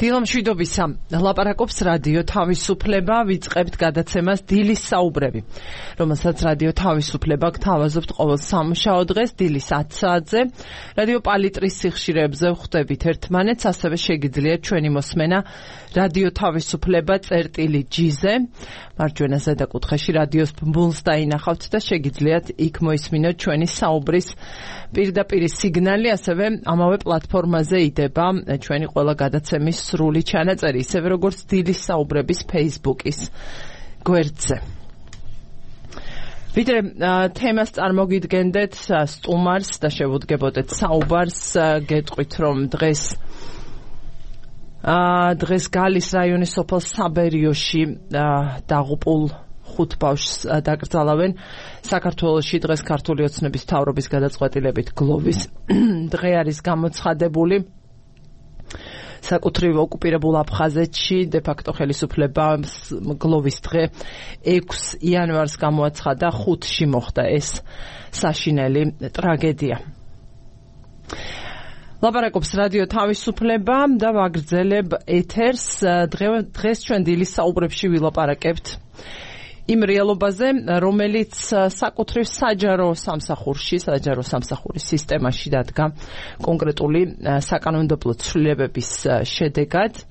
დილამშვიდობისა ლაპარაკობს რადიო თავისუფლება, ვიწყებთ გადაცემას დილის საუბრები, რომელსაც რადიო თავისუფლება გთავაზობთ ყოველ სამუშაო დღეს დილის 10 საათზე. რადიო პალიტრის სიხშირეებზე ვხვდებით ერთმანეთს, ასევე შეგიძლიათ ჩვენი მოსმენა რადიო თავისუფლება წერტილი-G-ზე, მარჯვენა ზედაკუთხეში რადიოს ბმულს დაინახავთ და შეგიძლიათ იქ მოისმინოთ ჩვენი საუბრის პირდაპირ სიგნალი, ასევე ამავე პლატფორმაზე იდება ჩვენი ყველა გადაცემის სრული ჩანაწერი, ისევე როგორც დილის საუბრების Facebook-ის გვერდზე. ვიდრე თემას წარმოგიდგენდეთ სტუმარს და შევუდგებოდეთ საუბარს, გეტყვით რომ დღეს გალის რაიონის სოფელ საბერიოში დაღუპულ 5 ბავშვს დაკრძალავენ. საქართველოში დღეს ქართული ოცნების მთავრობის გადაწყვეტილებით გლოვის დღე არის გამოცხადებული. საკუთრივ ოკუპირებულ აფხაზეთში დე-ფაქტო ხელისუფლებას გლოვის დღე 6 იანვარს გამოაცხადა, 5-ში მოხდა ეს საშინელი ტრაგედია. ლაპარაკობს რადიო თავისუფლება და ვაგრძელებ ეთერს. დღეს ჩვენ დილის საუბრებში ვილაპარაკებთ იმ რეალობაზე, რომელიც საკუთრივ საჯარო სამსახურის სისტემაში დადგა კონკრეტული საკანონმდებლო ცვლილებების შედეგად.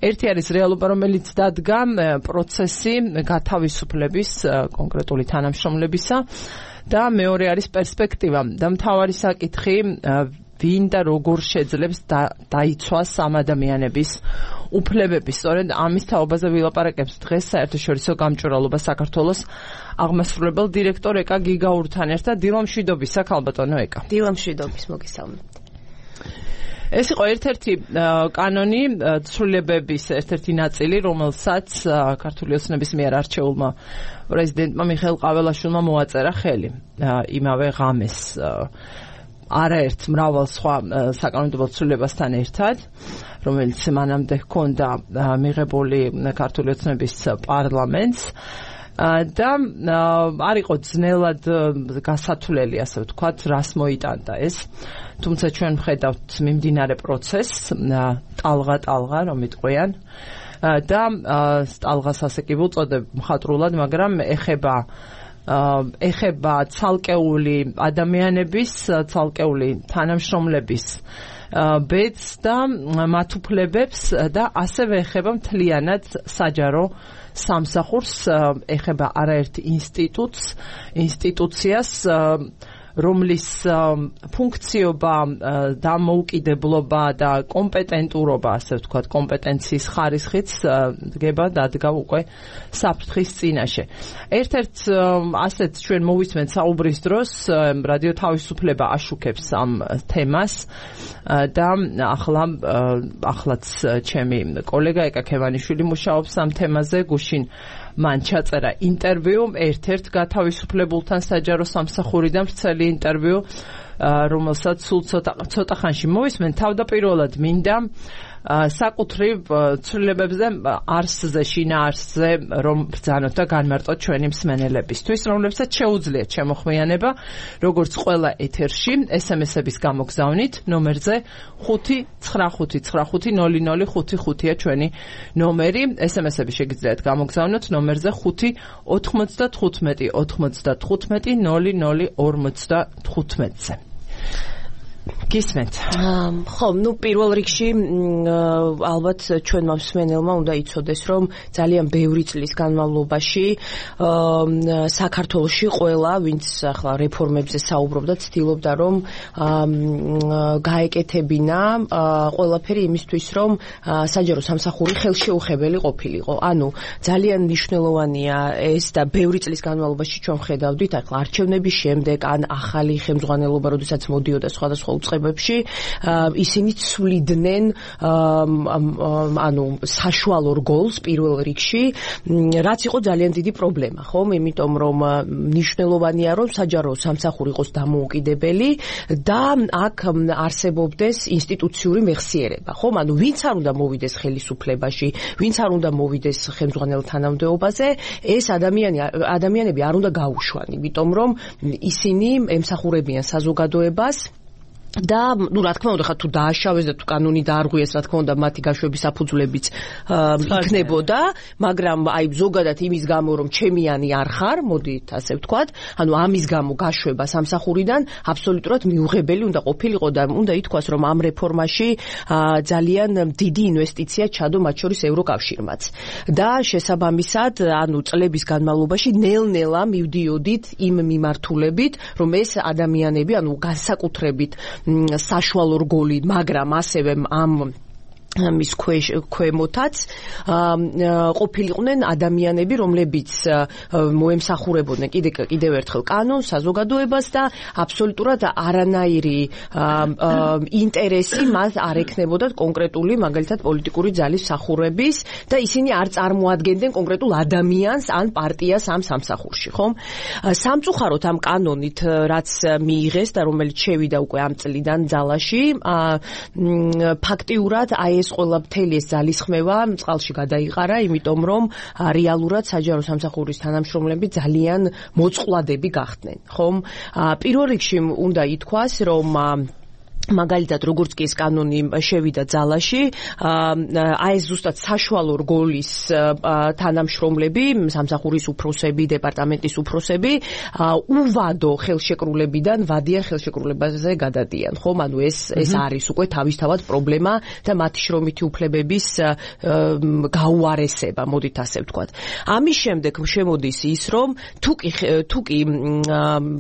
ერთი არის რეალობა, რომელიც დადგა პროცესი გათავისუფლების კონკრეტული თანამშრომლებისა და მეორე არის პერსპექტივა და მთავარი საკითხი, ვინ და როგორ შეძლებს დაიცვას ამ ადამიანების უფლებები. სწორედ ამის თაობაზე ვილაპარაკებთ დღეს საერთაშორისო გამჭვირვალობა საქართველოს აღმასრულებელ დირექტორ ეკა გიგაურთან ერთად. დილამშვიდობისა, ქალბატონო ეკა. დილამშვიდობის, მოგესალმებით. ეს იყო ერთ-ერთი კანონი, ცვლილებების ერთ-ერთი ნაწილი, რომელსაც ქართული ოცნების მიერ არჩეულმა პრეზიდენტმა მიხეილ ყაველაშვილმა მოაწერა ხელი იმავე ღამეს არაერთ მრავალ სხვა საკანონმდებლო ცვლილებასთან ერთად, რომელიც მანამდე ჰქონდა მიღებული ქართული ოცნების პარლამენტს და არ იყო ძნელად გასათვლელი, ასე ვთქვათ, რას მოიტანდა ეს. თუმცა ჩვენ ვხედავთ მიმდინარე პროცესს, ტალღა, რომ იტყვიან და ტალღას ასე კი ვუწოდებ მხატვრულად, მაგრამ ეხება ცალკეული ადამიანების, ცალკეული თანამშრომლების ბედს და მათ უფლებებს და ასევე ეხება მთლიანად საჯარო სამსახურს, ეხება არაერთ ინსტიტუციას, რომლის ფუნქციობა, დამოუკიდებლობა და კომპეტენტურობა, ასე ვთქვათ, კომპეტენციის ხარისხიც დადგა უკვე საფრთხის წინაშე. ერთ-ერთ ასეთ ჩვენ მოვისმენთ საუბრის დროს, რადიო თავისუფლება აშუქებს ამ თემას და ახლაც ჩემი კოლეგა ეკა ქევანიშვილი მუშაობს ამ თემაზე, გუშინ მან ჩაწერა ინტერვიუ ერთ-ერთ გათავისუფლებულთან საჯარო სამსახურიდან, ვრცელი ინტერვიუ, რომელსაც სულ ცოტა ხანში მოვისმენთ. თავდაპირველად მინდა საკუთრივ ცვლილებებზე შინაარსზე რომ ბრძანოთ და განმარტოთ ჩვენი მსმენელებისთვის, რომლებსაც შეუძლიათ შემოხმიანება, როგორც ყველა ეთერში, SMS-ების გამოგზავნით ნომერზე 595500555-ია ჩვენი ნომერი. SMS-ები შეგიძლიათ გამოგზავნოთ ნომერზე 595-95-00-55-ზე. გისმენთ. ხო, პირველ რიგში ალბათ ჩვენმა მსმენელმა უნდა იცოდეს, რომ ძალიან ბევრი წლის განმავლობაში საქართველოში ყველა, ვინც ახლა რეფორმებზე საუბრობდა, ცდილობდა, რომ გაეკეთებინა ყველაფერი იმისთვის, რომ საჯარო სამსახური ხელშეუხებელი ყოფილიყო. ანუ ძალიან მნიშვნელოვანია ეს და ბევრი წლის განმავლობაში ჩვენ ხედავდით, ახლა არჩევნების შემდეგ ან ახალი ხელმძღვანელობა, როდესაც მოდიოდა სხვადასხვა უწყებებში, ისინი ცვლიდნენ ანუ საშუალო რგოლს პირველ რიგში, რაც იყო ძალიან დიდი პრობლემა, ხომ? იმიტომ რომ მნიშვნელოვანია, რომ საჯარო სამსახური იყოს დამოუკიდებელი და აქ არსებობდეს ინსტიტუციური მეხსიერება, ხომ? ანუ ვინც არ უნდა მოვიდეს ხელისუფლებაში, ვინც არ უნდა მოვიდეს ხელმძღვანელ თანამდებობაზე, ეს ადამიანები არ უნდა გაუშვან, იმიტომ რომ ისინი ემსახურებიან საზოგადოებას და ნუ რა თქმა უნდა ხა თუ დააშავეს და თუ კანონი დაარღვიეს რა თქმა უნდა მათი გაშვების საფუძვლებიც იქნებოდა მაგრამ აი ზოგადად იმის გამო რომ ჩემიანი არ ხარ მოდით ასე ვთქვათ ანუ ამის გამო გაშვება სამსახურიდან აბსოლუტურად მიუღებელი უნდა ყოფილიყო და უნდა ითქვას რომ ამ რეფორმაში ძალიან დიდი ინვესტიცია ჩადო მათ შორის ევროკავშირმაც და შესაბამისად ანუ წლების განმავლობაში ნელ-ნელა მივდიოდით იმ მიმართულებით რომ ეს ადამიანები ანუ განსაკუთრებით საშუალო რგოლი, მაგრამ ასევე ამ მის ქვემოთაც ყოფილიყვნენ ადამიანები, რომლებიც მოემსახურებოდნენ კიდევ ერთხელ კანონს, საზოგადოებას და აბსოლუტურად არანაირი ინტერესი მათ არ ექნებოდათ კონკრეტული, მაგალითად, პოლიტიკური ძალის მსახურების და ისინი არ წარმოადგენდნენ კონკრეტულ ადამიანს ან პარტიას ამ სამსახურში, ხომ? სამწუხაროდ ამ კანონით, რაც მიიღეს და რომელიც შევიდა უკვე ამ წლიდან ძალაში, ფაქტიურად აი ეს ყველა მთელი ეს ძალისხმევა წყალში გადაიყარა, იმიტომ რომ რეალურად საჯარო სამსახურის თანამშრომლები ძალიან მოწყვლადები გახდნენ, ხომ? პირველ რიგში უნდა ითქვას, რომ მაგალითად როგორც კი ეს კანონი შევიდა ძალაში, აი ეს ზუსტად საშუალო რგოლის თანამშრომლები, სამსახურის უფროსები, დეპარტამენტის უფროსები, უვადო ხელშეკრულებიდან ვადიან ხელშეკრულებაზე გადადიან, ხომ? ანუ ეს არის უკვე თავისთავად პრობლემა და მათი შრომითი უფლებების გაუარესება, მოდით ასე ვთქვათ. ამის შემდეგ შემოდის ის, რომ თუ კი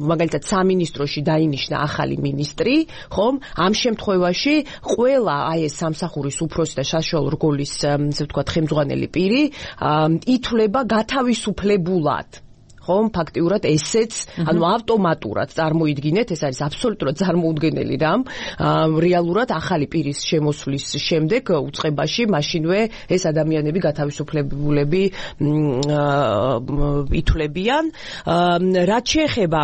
მაგალითად სამინისტროში დაინიშნა ახალი მინისტრი, ხომ? ამ შემთხვევაში ყველა აი ეს სამსახურის უფროსი და საშუალო რგოლის ასე ვთქვათ ხელმძღვანელი პირი ითვლება გათავისუფლებულად. ხომ ფაქტიურად ესეც ანუ ავტომატურად წარმოიდგინეთ ეს არის აბსოლუტურად წარმოუდგენელი რამ რეალურად ახალი პირის შემოსვლის შემდეგ უწყებაში მაშინვე ეს ადამიანები გათავისუფლებულები ითვლებიან რაც შეეხება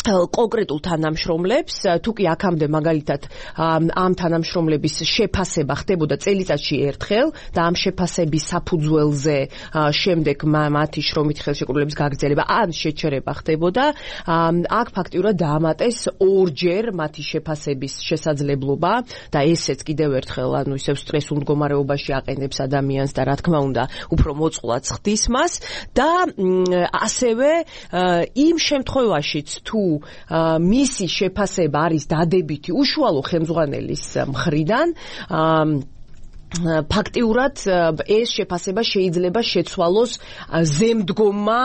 კონკრეტულ თანამშრომლებს, თუ კი აქამდე მაგალითად ამ თანამშრომლების შეფასება ხდებოდა წელიწადში ერთხელ და ამ შეფასების საფუძველზე შემდეგ მათი შრომითი ხელშეკრულების გაგრძელება ან შეჩერება ხდებოდა, აქ ფაქტიურად დაამატეს ორჯერ მათი შეფასების შესაძლებლობა და ესეც კიდევ ერთხელ ანუ ისევ სტრესულ მდგომარეობაში აყენებს ადამიანს და რა თქმა უნდა უფრო მოწყვლად ხდის მას და ასევე იმ შემთხვევაშიც თუ მისი შეფასება არის დადებითი უშუალო ხელმძღვანელის მხრიდან ფაქტიურად ეს შეფასება შეიძლება შეცვალოს ზემდგომმა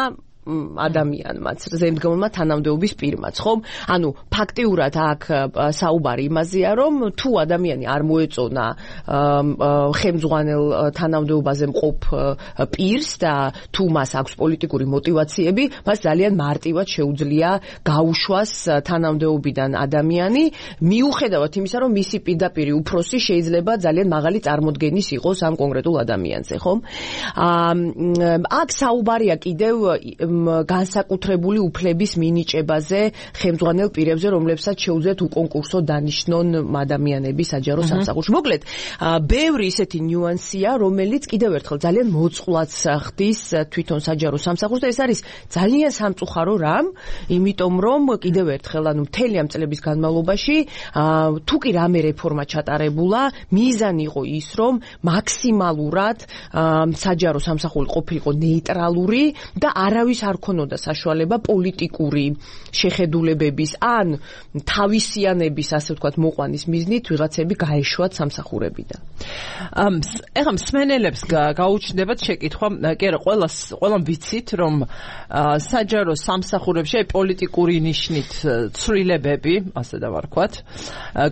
ადამიანმაც, ზემდგომმა თანამდებობის პირმაც, ხომ? ანუ ფაქტიურად აქ საუბარი იმაზეა, რომ თუ ადამიანი არ მოეწონა ხელმძღვანელ თანამდებობაზე მყოფ პირს და თუ მას აქვს პოლიტიკური мотиваციები, მას ძალიან მარტივად შეუძლია გაუშვას თანამდებობიდან ადამიანი, მიუხედავად იმისა, რომ მისი პირდაპირი უფროსი შეიძლება ძალიან მაღალი წარმოდგენის იყოს ამ კონკრეტულ ადამიანზე, ხომ? აქ საუბარია კიდევ განსაკუთრებული უფლების მინიჭებაზე ხელმძღვანელ პირებზე, რომლებსაც შეუძლიათ უკონკურსო დანიშნონ ადამიანები საჯარო სამსახურში. მოკლედ, ბევრი ისეთი ნიუანსია, რომელიც კიდევ ერთხელ ძალიან მოწყვლად ხდის თვითონ საჯარო სამსახურს და ეს არის ძალიან სამწუხარო რამ, იმიტომ რომ კიდევ ერთხელ ანუ მთელი ამ წლების განმავლობაში თუ კი რამე რეფორმა ჩატარებულა, მიზანი იყო ის, რომ მაქსიმალურად საჯარო სამსახური ყოფილიყო ნეიტრალური და არავის არ ქონოდა საშუალება პოლიტიკური შეხედულებების ან თავისიანების ასე ვთქვათ მოყვანის მიზნით ვიღაცები გაეშვათ სამსახურებიდან. ეხლა მსმენელებს გაუჩნდებათ შეკითხვა, კი არა, ყველამ ვიცით, რომ საჯარო სამსახურებში პოლიტიკური ნიშნით ცვლილებები, ასე დავარქვათ,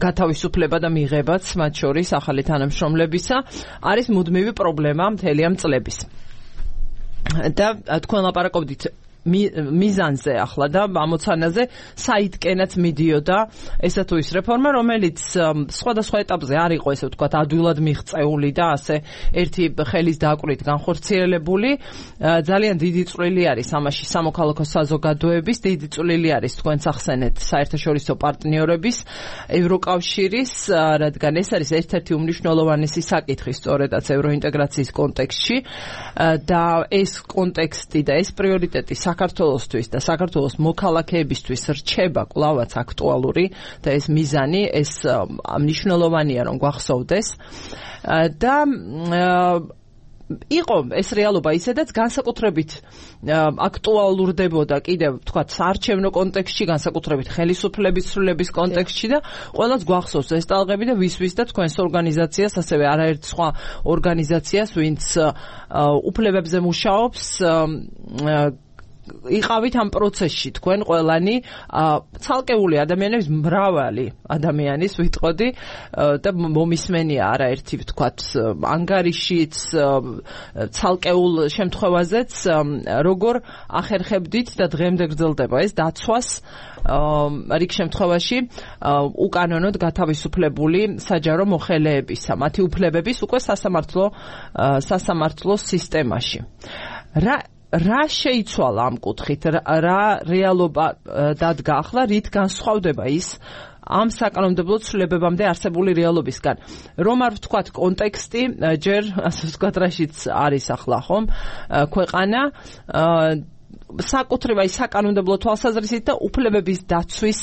გათავისუფლება და მიღებაც მათ შორის ახალი თანამშრომლებისა არის მუდმივი პრობლემა მთელი ამ წლების. და თქვენ ლაპარაკობდით მიზანზე ახლა და ამოცანაზე საითკენაც მიდიოდა ესა თუ ის რეფორმა, რომელიც სხვადასხვა ეტაპზე არ იყო ესე ვთქვათ ადვილად მიღწეული და ასე ერთი ხელის დაკვირით განხორციელებული. ძალიან დიდი წვლილი არის ამაში სამოქალაქო საზოგადოების, დიდი წვლილი არის თქვენც ახსენეთ საერთაშორისო პარტნიორების, ევროკავშირის, რადგან ეს არის ერთ-ერთი უმნიშვნელოვანესი საკითხი სწორედაც ევროინტეგრაციის კონტექსტში და ეს კონტექსტი და ეს პრიორიტეტი საქართველოსთვის და საქართველოს მოქალაქეებისთვის რჩება კვლავაც აქტუალური და ეს მიზანი, ეს მნიშვნელოვანია რომ გვახსოვდეს და იყო ეს რეალობა ისედაც განსაკუთრებით აქტუალურდებოდა კიდევ თქვათ საარჩევნო კონტექსტში, განსაკუთრებით ხელისუფლების ცვლილების კონტექსტში და ყველას გვახსოვს ეს ტალღები და ვის და თქვენს ორგანიზაციას, ასევე არაერთ სხვა ორგანიზაციას, ვინც უფლებებზე მუშაობს, იყავით ამ პროცესში თქვენ ყველანი ცალკეული ადამიანების მრავალი ადამიანის ვიტყოდი და მომისმენია არაერთი ვთქვათ ანგარიშიც ცალკეულ შემთხვევაზეც როგორ ახერხებდით და დღემდე გრძელდება ეს დაცვას რიგ შემთხვევაში უკანონოდ გათავისუფლებული საჯარო მოხელეებისა მათი უფლებების უკვე სასამართლო სისტემაში რა შეიცვალა ამ კუთხით, რა რეალობა დადგა ახლა, რით განსხვავდება ის ამ საკანონმდებლო ცვლილებებამდე არსებული რეალობისგან. რომ არ ვთქვათ კონტექსტი, ჯერ ასე ვთქვათ რაშიც არის ახლა ხომ ქვეყანა საკუთრივ აი საკანონმდებლო თვალსაზრისით და უფლებების დაცვის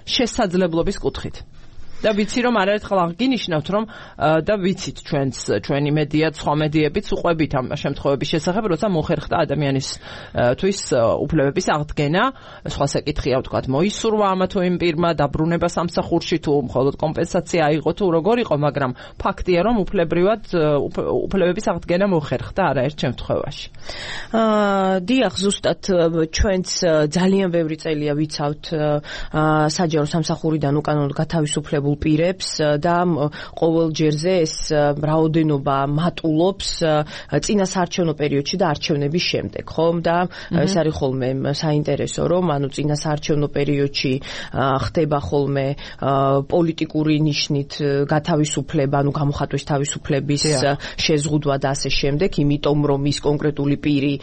შესაძლებლობის კუთხით. და ვიცი რომ არაერთხელ აღგინიშნავთ რომ და ვიცით ჩვენი მედია, სხვა მედიებიც უყვებით ამ შემთხვევების შესახებ, როცა მოხერხდა ადამიანისთვის უფლებების აღდგენა, სხვა საკითხია ვთქვათ მოისურვა ამა თუ იმ პირმა, დაბრუნება სამსახურში თუ მხოლოდ კომპენსაცია აიღო თუ როგორ იყო, მაგრამ ფაქტია რომ უფლებების აღდგენა მოხერხდა არაერთ შემთხვევაში. დიახ, ზუსტად ჩვენც ძალიან ბევრი წელია ვიცავთ საჯარო სამსახურიდან უკანონოდ გათავისუფლებულ პირებს და ყოველ ჯერზე ეს რაოდენობა მატულობს წინა საარჩევნო პერიოდში და არჩევნების შემდეგ, ხომ? და ეს არის ხოლმე საინტერესო, რომ ანუ წინა საარჩევნო პერიოდში ხდება ხოლმე პოლიტიკური ნიშნით გათავისუფლება, ანუ გამოხატვის თავისუფლების შეზღუდვა და ასე შემდეგ, იმიტომ რომ ის კონკრეტული პირი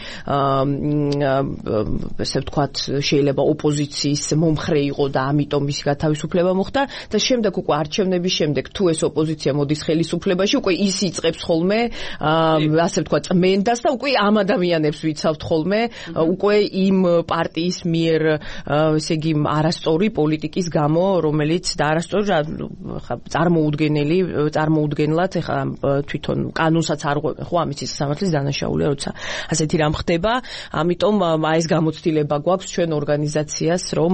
ესე ვთქვათ შეიძლება ოპოზიციის მომხრე იყო და ამიტომ მისი გათავისუფლება მოხდა და შემდეგ უკვე არჩევნების შემდეგ თუ ეს ოპოზიცია მოდის ხელისუფლებაში, უკვე ის იწყებს ხოლმე ასე ვთქვათ წმენდას და უკვე ამ ადამიანებს ვიცავთ ხოლმე უკვე იმ პარტიის მიერ ესე იგი არასწორი პოლიტიკის გამო, რომელიც და არასწორი წარმოუდგენლად ეხლა თვითონ კანონსაც არ ღვევენ ხო ამის სასამართლოს დანაშაულია, როცა ასეთი რამ ხდება, ამიტომ ეს გამოცდილება გვაქვს ჩვენ ორგანიზაციას, რომ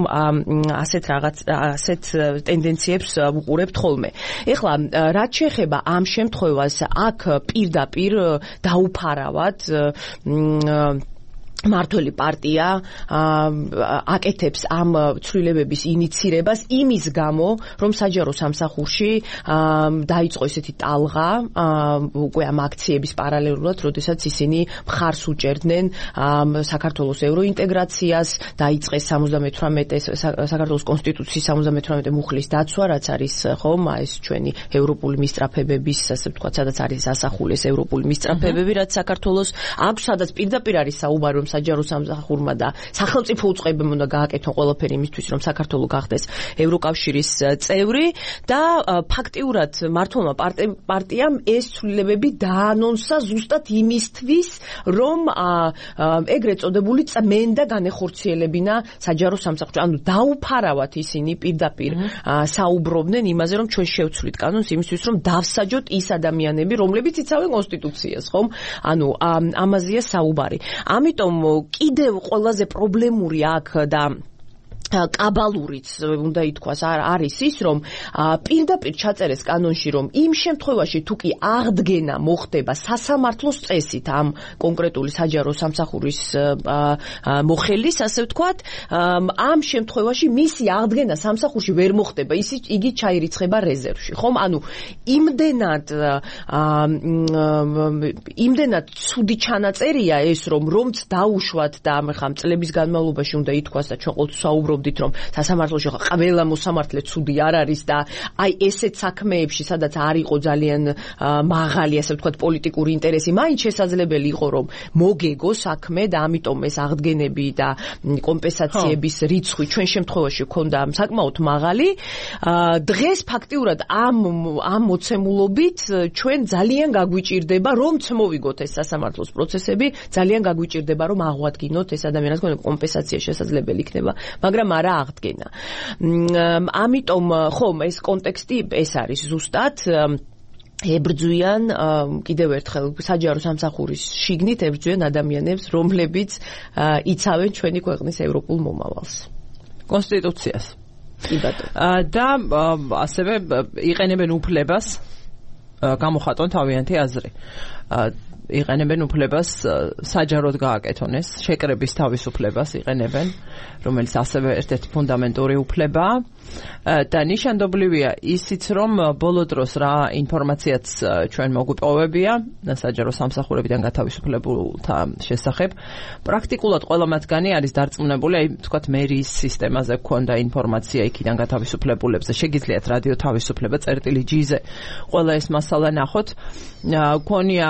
ასეთ ტენდენციებს ვუყურებთ ხოლმე. ეხლა რაც შეეხება ამ შემთხვევას, აქ პირდაპირ დაუფარავად მართველი პარტია აკეთებს ამ ცვლილებების ინიცირებას იმის გამო, რომ საჯარო სამსახურში დაიწყო ესეთი ტალღა უკვე ამ აქციების პარალელურად, როდესაც ისინი მხარს უჭერდნენ საქართველოს ევროინტეგრაციას, დაიწყეს 78 საქართველოს კონსტიტუციის 78 მუხლის დაცვა, რაც არის ხომ ეს ჩვენი ევროპული მისწრაფებების, ასე ვთქვათ, სადაც არის ასახული ეს ევროპული მისწრაფებები, რაც საქართველოს აქვს, სადაც პირდაპირ არის საუბარი რომ საჯარო სამსახურმა და სახელმწიფო უწყებამ უნდა გააკეთონ ყველაფერი იმისთვის, რომ საქართველო გახდეს ევროკავშირის წევრი და ფაქტიურად მართლმა პარტიამ ეს ცვლილებები დაანონსა ზუსტად იმისთვის, რომ ეგრეთ წოდებული წმენდა განეხორციელებინა საჯარო სამსახურში. ანუ დაუფარავათ ისინი პირდაპირ საუბრობდნენ იმაზე, რომ ჩვენ შევცვლით კანონს იმისთვის, რომ დავსაჯოთ ის ადამიანები, რომლებიც იცავენ კონსტიტუციას, ხომ? ანუ ამაზეა საუბარი. ამიტომ კიდევ ყველაზე პრობლემური აქ და კაბალურიც უნდა ითქვას არის ის, რომ პირდაპირ ჩაწერეს კანონში, რომ იმ შემთხვევაში თუ კი აღდგენა მოხდება სასამართლოს წესით ამ კონკრეტული საჯარო სამსახურის მოხელის, ასე ვთქვათ, ამ შემთხვევაში მისი აღდგენა სამსახურში ვერ მოხდება, იგი ჩაირიცხება რეზერვში, ხომ? ანუ იმდენად ცუდი ჩანაწერია ეს, რომც დაუშვათ და ახლა წლების განმავლობაში უნდა ითქვას და ჩვენ ყოველთვის საუბრობ ვთქვით, რომ სასამართლოში ყველა მოსამართლე ცუდი არ არის და აი ესეთ საქმეებში, სადაც არ იყო ძალიან მაღალი, ასე ვთქვათ, პოლიტიკური ინტერესი, მაინც შესაძლებელი იყო, რომ მოგეგო საქმე და ამიტომ ეს აღდგენები და კომპენსაციების რიცხვი ჩვენ შემთხვევაში ქონდა საკმაოდ მაღალი. დღეს ფაქტიურად ამ მოცემულობით ჩვენ ძალიან გაგვიჭირდება, რომც მოვიგოთ ეს სასამართლოს პროცესები, ძალიან გაგვიჭირდება, რომ აღვადგინოთ ეს ადამიანის კომპენსაცია შესაძლებელი იქნება, მაგრამ არა აღდგენა. ამიტომ ხომ ეს კონტექსტი ეს არის ზუსტად ებრძვიან კიდევ ერთხელ საჯარო სამსახურის შიგნით ებრძვიან ადამიანებს, რომლებიც იცავენ ჩვენი ქვეყნის ევროპულ მომავალს. კონსტიტუციას. კი ბატონო. და ასევე იყენებენ უფლებას გამოხატონ თავიანთი აზრი. იყენებენ უფლებას საჯაროდ გააკეთონ ეს, შეკრების თავისუფლებას იყენებენ, რომელიც ასევე ერთ-ერთი ფუნდამენტური უფლებაა. და ნიშანდობლივია ისიც, რომ ბოლო დროს რა ინფორმაციაც ჩვენ მოგვიპოვებია საჯარო სამსახურებიდან გათავისუფლებულთა შესახებ, პრაქტიკულად ყველა მათგანი არის დარწმუნებული, აი თქვათ მერიის სისტემაზე გქონდა ინფორმაცია იქიდან გათავისუფლებულებზე, შეგიძლიათ რადიო თავისუფლება წერტილი G-ზე ყველა ეს მასალა ნახოთ, გქონია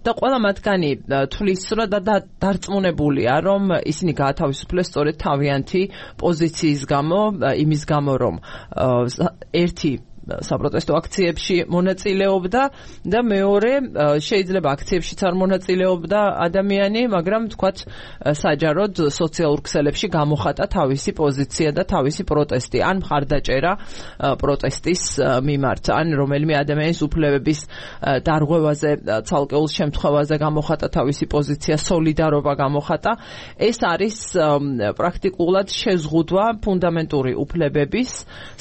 და ყველა მათგანი თვლის რომ დარწმუნებულია, რომ ისინი გაათავისუფლეს სწორედ თავიანთი პოზიციის გამო, იმის გამო რომ ერთი საპროტესტო აქციებში მონაწილეობდა და მეორე შეიძლება აქციებშიც არ მონაწილეობდა ადამიანი, მაგრამ თქვათ საჯაროდ სოციალურ ქსელებში გამოხატა თავისი პოზიცია და თავისი პროტესტი, ან მხარდაჭერა პროტესტის მიმართ, ან რომელიმე ადამიანის უფლებების დარღვევაზე, ცალკეულ შემთხვევაზე გამოხატა თავისი პოზიცია, სოლიდარობა გამოხატა. ეს არის პრაქტიკულად შეზღუდვა ფუნდამენტური უფლებების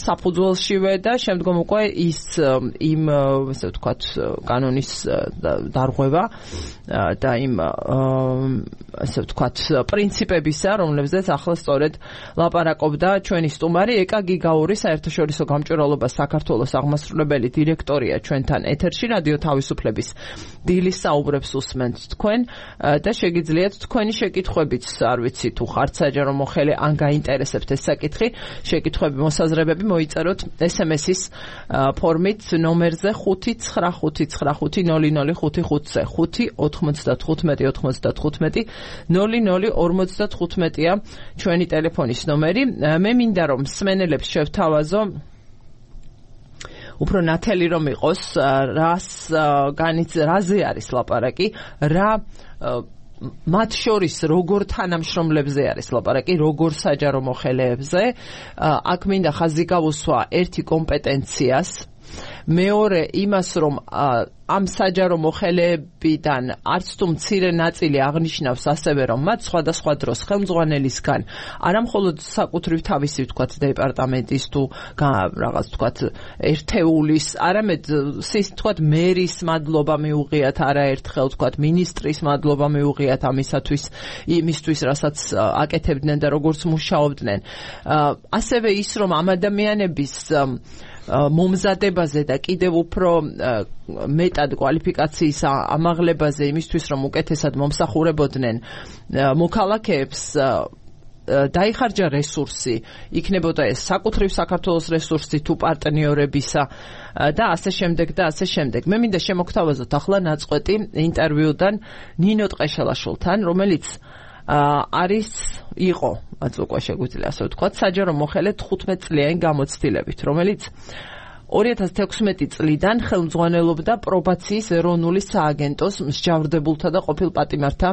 საფუძველშივე და შემდგომ უკვე ის იმ ასე ვთქვათ კანონის დარღვევა და იმ ასე ვთქვათ პრინციპებისა, რომლებზეც ახლა სწორედ ლაპარაკობდა ჩვენი სტუმარი ეკა გიგაური, საერთაშორისო გამჭვირვალობას საქართველოს აღმასრულებელი დირექტორია ჩვენთან ეთერში, რადიო თავისუფლების დილის საუბრებს უსმენთ თქვენ და შეგიძლიათ თქვენი შეკითხვებიც, არ ვიცი თუ ხართ საჯარო მოხელე, ან გაინტერესებთ ეს საკითხი, შეკითხვები, მოსაზრებები მოიწეროთ SMS-ის ფორმით ნომერზე 595500555-ზე 595-95-95-0055-ია ჩვენი ტელეფონის ნომერი. მე მინდა რომ მსმენელებს შევთავაზო უფრო ნათელი რომ იყოს, რაზე არის ლაპარაკი, რა მათ შორის როგორ თანამშრომლებზე არის ლაპარაკი, როგორ საჯარო მოხელეებზე. აქ მინდა ხაზი გავუსვა ერთი კომპეტენციას, მეორე იმას, რომ ამ საჯარო მოხელეებიდან არც თუ მცირე ნაწილი აღნიშნავს ასევე, რომ მათ სხვადასხვა დროს ხელმძღვანელისგან არამხოლოდ საკუთრივ თავისი ვთქვათ დეპარტამენტის თუ რაღაც ვთქვათ ერთეულის, არამედ ვთქვათ მერის მადლობა მიუღიათ არაერთხელ, ვთქვათ მინისტრის მადლობა მიუღიათ იმისთვის, რასაც აკეთებდნენ და როგორც მუშაობდნენ. ასევე ის, რომ ამ ადამიანების მომზადებაზე და კიდევ უფრო მეტად კვალიფიკაციის ამაღლებაზე იმისთვის, რომ უკეთესად მომსახურებოდნენ მოქალაქეებს, დაიხარჯა რესურსი, იქნებოდა ეს საკუთრივ საქართველოს რესურსი თუ პარტნიორებისა და ასე შემდეგ და ასე შემდეგ. მე მინდა შემოგთავაზოთ ახლა ნაწყვეტი ინტერვიუდან ნინო ტყეშელაშვილთან, რომელიც იყო უკვე შეგვიძლია ასე ვთქვათ, საჯარო მოხელე 15 წლიანი გამოცდილებით, რომელიც 2016 წლიდან ხელმძღვანელობდა პრობაციის ეროვნული სააგენტოს მსჯავრდებულთა და ყოფილ პატიმართა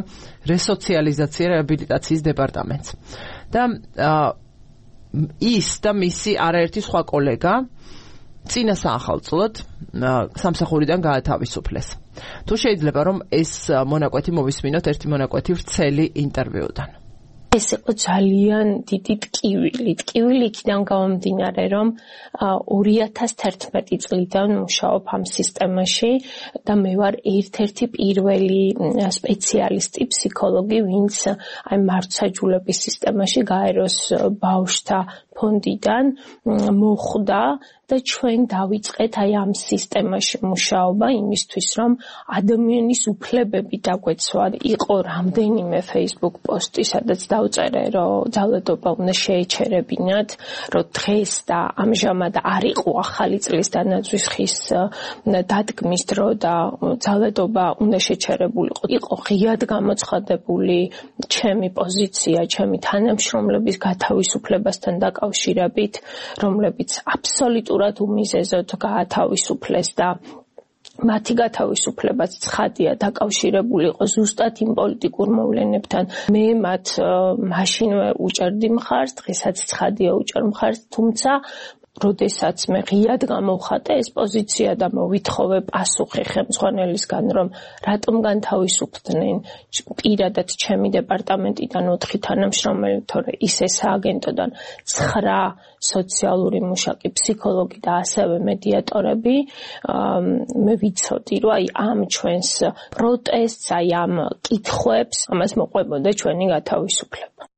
რესოციალიზაცია რეაბილიტაციის დეპარტამენტს. და ის და მისი არაერთი სხვა კოლეგა წინა საახალწლოდ სამსახურიდან გაათავისუფლეს. თუ შეიძლება რომ ეს მონაკვეთი მოვისმინოთ ერთი მონაკვეთი ვრცელი ინტერვიუდან. ეს იყო ძალიან დიდი ტკივილი იქიდან გამომდინარე, რომ 2011 წლიდან მუშაობ ამ სისტემაში და მე ვარ ერთ-ერთი პირველი სპეციალისტი, ფსიქოლოგი, ვინც აი მართლმსაჯულების სისტემაში გაეროს ბავშვთა ფონდიდან მოხვდა და ჩვენ დავიწყეთ აი ამ სისტემაში მუშაობა იმისთვის, რომ ადამიანის უფლებები დაგვეცვა. იყო რამდენიმე Facebook პოსტი, სადაც დავწერე, რომ ძალადობა უნდა შეეჩერებინათ, რომ დღეს და ამჟამად არ იყო ახალი წლის დანაძვის ხის დადგმის დრო და ძალადობა უნდა შეჩერებულიყო. იყო ღიად გამოცხადებული ჩემი პოზიცია, ჩემი თანამშრომლების გათავისუფლებასთან დაკავშირებით, რომლებიც აბსოლუტურად უმიზეზოდ გაათავისუფლეს და მათი გათავისუფლებაც ცხადია დაკავშირებული იყო ზუსტად იმ პოლიტიკურ მოვლენებთან. მე მათ მაშინვე უჭერდი მხარს, დღესაც ცხადია უჭერ მხარს, თუმცა როდესაც მე ღიად გამოვხატე ეს პოზიცია და მოვითხოვე პასუხი ხელმძღვანელისგან, რომ რატომ განთავისუფლდნენ პირადად ჩემი დეპარტამენტიდან 4 თანამშრომელი, თორე ისე სააგენტოდან 9 სოციალური მუშაკი, ფსიქოლოგი და ასევე მედიატორები, მე ვიცოდი, რომ აი ამ ჩვენს პროტესტს, აი ამ კითხვებს, ამას მოყვებოდა ჩვენი გათავისუფლება.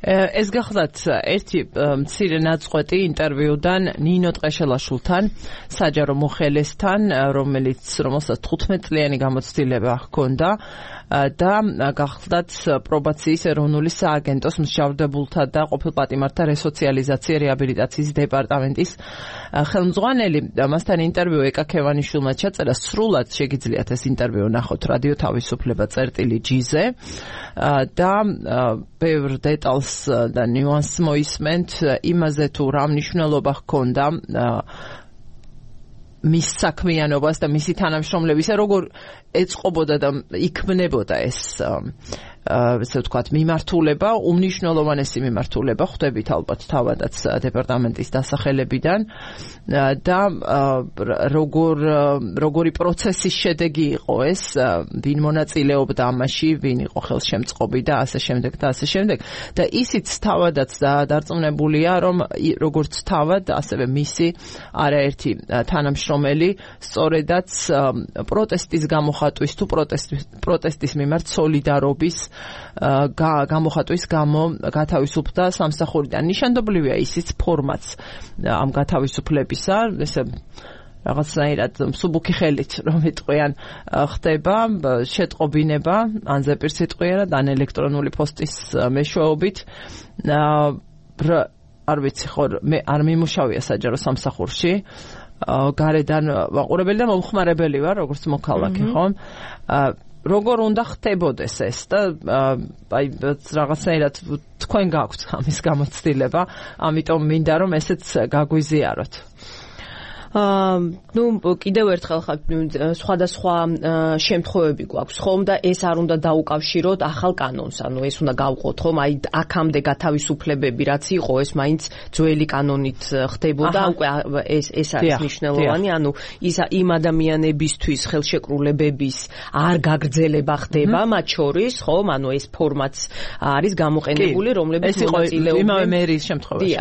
ეს გახლავთ ერთი მცირე ნაწყვეტი ინტერვიუდან ნინო ტყეშელაშვილთან, საჯარო მოხელესთან, რომელსაც 15 წლიანი გამოცდილება ჰქონდა და გახლავთ პრობაციის ეროვნული სააგენტოს მსჯავრდებულთა და ყოფილ პატიმართა რესოციალიზაცია რეაბილიტაციის დეპარტამენტის ხელმძღვანელი. მასთან ინტერვიუ ეკა ქევანიშვილმა ჩაწერა, სრულად შეგიძლიათ ეს ინტერვიუ ნახოთ რადიო თავისუფლება წერტილი.gz-ზე და ბევრ დეტალს და ნიუანსს მოისმენთ იმაზე თუ რა მნიშვნელობა ჰქონდა მის საქმიანობას და მისი თანამშრომლებისა, როგორ ეწყობოდა და იქმნებოდა ეს ესე ვთქვათ მიმართულება, უმნიშვნელოვანესი მიმართულება, ხვდებით ალბათ თავადაც დეპარტამენტის დასახელებიდან და როგორი პროცესის შედეგი იყო ეს, ვინ მონაწილეობდა ამაში, ვინ იყო ხელშემწყობი და ასე შემდეგ და ასე შემდეგ. და ისიც თავადაც დარწმუნებულია, რომ როგორც თავად, ასევე მისი არაერთი თანამშრომელი სწორედაც პროტესტის გამოხატვის თუ პროტესტის მიმართ სოლიდარობის გამოხატვის გამო გათავისუფლდა სამსახურიდან. ნიშანდობლივია ისიც ფორმაც ამ გათავისუფლებისა, ესე რაღაცნაირად მსუბუქი ხელით რომ იტყვიან ხდება შეტყობინება ან ზეპირსიტყვიერად ან ელექტრონული პოსტის მეშვეობით. არ ვიცი ხო მე არ მიმუშავია საჯარო სამსახურში, გარედან მაყურებელი და მომხმარებელი ვარ, როგორც მოქალაქე, ხო? როგორ უნდა ხდებოდეს ეს და აი რაღაცნაირად თქვენ გაქვთ ამის გამოცდილება, ამიტომ მინდა რომ ესეც გაგვიზიაროთ. კიდევ ერთხელ სხვადასხვა შემთხვევები გვაქვს ხომ და ეს არ უნდა დაუკავშიროთ ახალ კანონს, ანუ ეს უნდა გავყოთ ხომ, აი აქამდე გათავისუფლებები რაც იყო, ეს მაინც ძველი კანონით ხდებოდა, უკვე ეს არის მნიშვნელოვანი, ანუ იმ ადამიანებისთვის ხელშეკრულებების არ გაგრძელება ხდება მათ შორის, ხომ, ანუ ეს ფორმაც არის გამოყენებული, რომლებიც მონაწილეობენ იმავე მერის შემთხვევაში.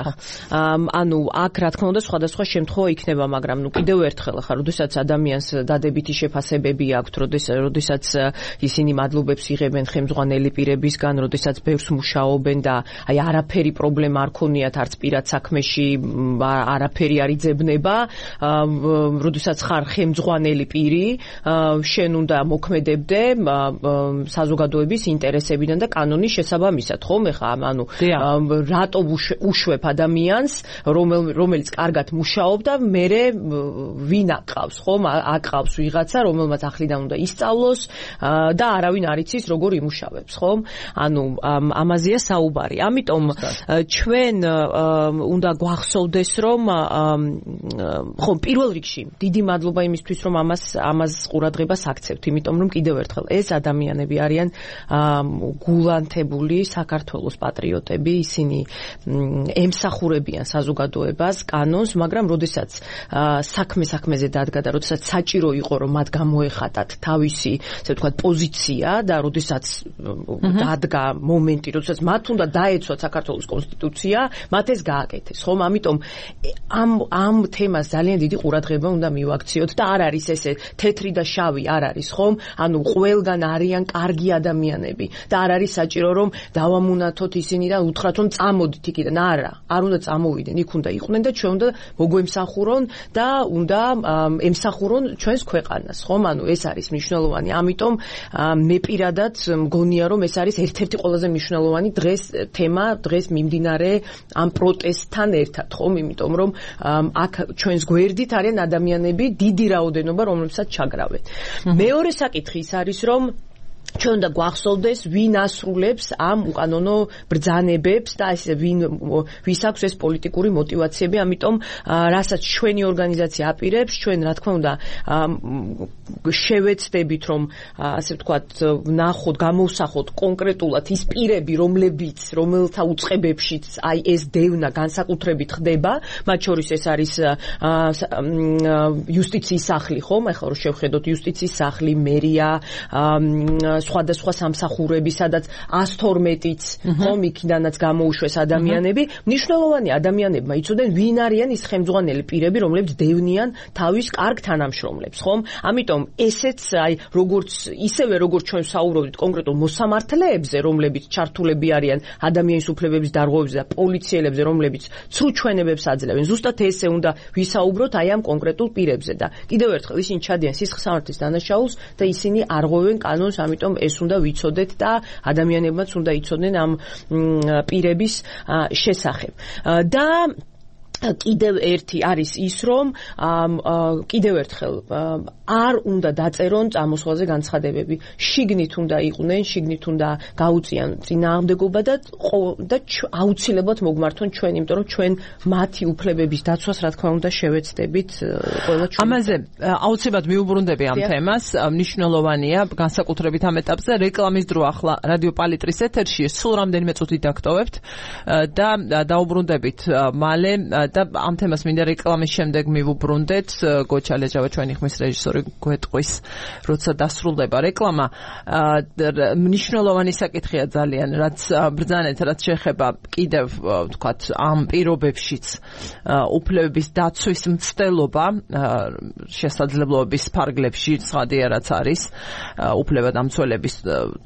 ანუ აქ რა თქმა უნდა სხვადასხვა შემთხვევა იქნება, მაგრამ კიდევ ერთხელ ხარ, როდესაც ადამიანს დადებითი შეფასებები აქვს, როდესაც ისინი მადლობებს იღებენ ხელმძღვანელი პირებისგან, როდესაც ბევრს მუშაობენ და აი არაფერი პრობლემა არ ქონიათ არც პირად საქმეში, არაფერი არ იძებნება, როდესაც ხარ ხელმძღვანელი პირი, შენ უნდა მოქმედებდე საზოგადოების ინტერესებიდან და კანონის შესაბამისად, ხომ? ეხლა ანუ რატო უშვებ ადამიანს, რომელიც კარგად მუშაობდა, მერე ვინ აკყავს, ხომ? აკყავს ვიღაცა, რომელმაც ახლიდან უნდა ისწავლოს და არავინ არ იცის როგორ იმუშავებს, ხომ? ანუ ამაზეა საუბარი. ამიტომ ჩვენ უნდა გვახსოვდეს, რომ ხომ პირველ რიგში დიდი მადლობა იმისთვის, რომ ამას ყურადღებას აქცევთ, იმიტომ რომ კიდევ ერთხელ ეს ადამიანები არიან გულანთებული საქართველოს პატრიოტები, ისინი ემსახურებიან საზოგადოებას, კანონს, მაგრამ როდესაც საქმეზე დადგა და როდესაც საჭირო იყო რომ მათ გამოეხატათ თავისი, ასე ვთქვათ, პოზიცია და როდესაც დადგა მომენტი, როდესაც მათ უნდა დაეცვათ საქართველოს კონსტიტუცია, მათ ეს გააკეთეს, ხომ? ამიტომ ამ თემას ძალიან დიდი ყურადღება უნდა მივაქციოთ და არ არის ესე თეთრი და შავი არ არის, ხომ? ანუ ყველგან არიან კარგი ადამიანები და არ არის საჭირო რომ დავამუნათოთ ისინი და უთხრათ რომ წამოდით იქიდან. არ უნდა წამოვიდნენ, იქ უნდა იყვნენ და ჩვენ უნდა მოგვემსახურონ და უნდა ემსახურონ ჩვენს ქვეყანას, ხომ? ანუ ეს არის მნიშვნელოვანი. ამიტომ მე პირადად მგონია რომ ეს არის ერთ-ერთი ყველაზე მნიშვნელოვანი თემა დღეს მიმდინარე ამ პროტესტთან ერთად, ხომ? იმიტომ რომ აქ ჩვენს გვერდით არიან ადამიანები, დიდი რაოდენობა, რომლებსაც ჩაგრავენ. მეორე საკითხი ის არის რომ ჩვენ უნდა გვახსოვდეს ვინ ასრულებს ამ უკანონო ბრძანებებს და ესე ვის აქვს ეს პოლიტიკური мотиваციები, ამიტომ რასაც ჩვენი ორგანიზაცია აპირებს, ჩვენ რა თქმა უნდა შევეცდებით რომ ასე ვთქვათ ნახოთ, გამოვსახოთ კონკრეტულად ის პირები, რომელთა უწყებებშიც აი ეს დევნა განსაკუთრებით ხდება, მათ შორის ეს არის იუსტიციის სახლი, ხომ? ახლა რომ შევხედოთ იუსტიციის სახლი, მერია, სხვადასხვა სამსახურები, სადაც 112-იც, ხომ, იქიდანაც გამოუშვეს ადამიანები, მნიშვნელოვანი ადამიანებმა იცოდნენ, ვინ არიან ის ხელმძღვანელი პირები, რომლებიც დევნიან თავის კარგ თანამშრომლებს, ხომ? ამიტომ ესეც აი ისევე როგორც ჩვენ საუბრობთ კონკრეტულ მოსამართლეებზე, რომლებიც ჩართულები არიან ადამიანის უფლებების დარღვევებზე და პოლიციელებზე, რომლებიც ცრუ ჩვენებებს აძლევენ, ზუსტად ესე უნდა ვისაუბროთ აი ამ კონკრეტულ პირებზე და კიდევ ერთხელ ისინი ჩადიან სისხლსამართლის დანაშაულს და ისინი არღვევენ კანონს, ამიტომ ეს უნდა ვიცოდეთ და ადამიანებმაც უნდა იცოდნენ ამ პირების შესახებ. და კიდევ ერთი არის ის, რომ კიდევ ერთხელ არ უნდა დაწერონ წამოსვლაზე განცხადებები. შიგნით უნდა იყვნენ, შიგნით უნდა გაუწიან წინააღმდეგობა და აუცილებლად მოგმართონ ჩვენ, იმიტომ რომ ჩვენ მათი უფლებების დაცვას რა თქმა უნდა შევეცდებით ყველა ჩვენ. ამაზე აუცილებლად მიუბრუნდები ამ თემას. მნიშვნელოვანია განსაკუთრებით ამ ეტაპზე რეკლამის დრო ახლა რადიო პალიტრის ეთერში სულ რამდენიმე წუთი დაგტოვებთ და დაუბრუნდებით მალე და ამ თემას მინდა რეკლამის შემდეგ მივუბრუნდეთ. გოჩა ლეჯავა ჩვენი ხმის რეჟისორი გვეტყვის, როცა დასრულდება რეკლამა. მნიშვნელოვანი საკითხია ძალიან, რაც ბრძანეთ, რაც შეეხება კიდევ ვთქვათ ამ პირობებშიც უფლებების დაცვის მცდელობა შესაძლებლობების ფარგლებში, ცხადია რაც არის უფლებადამცველების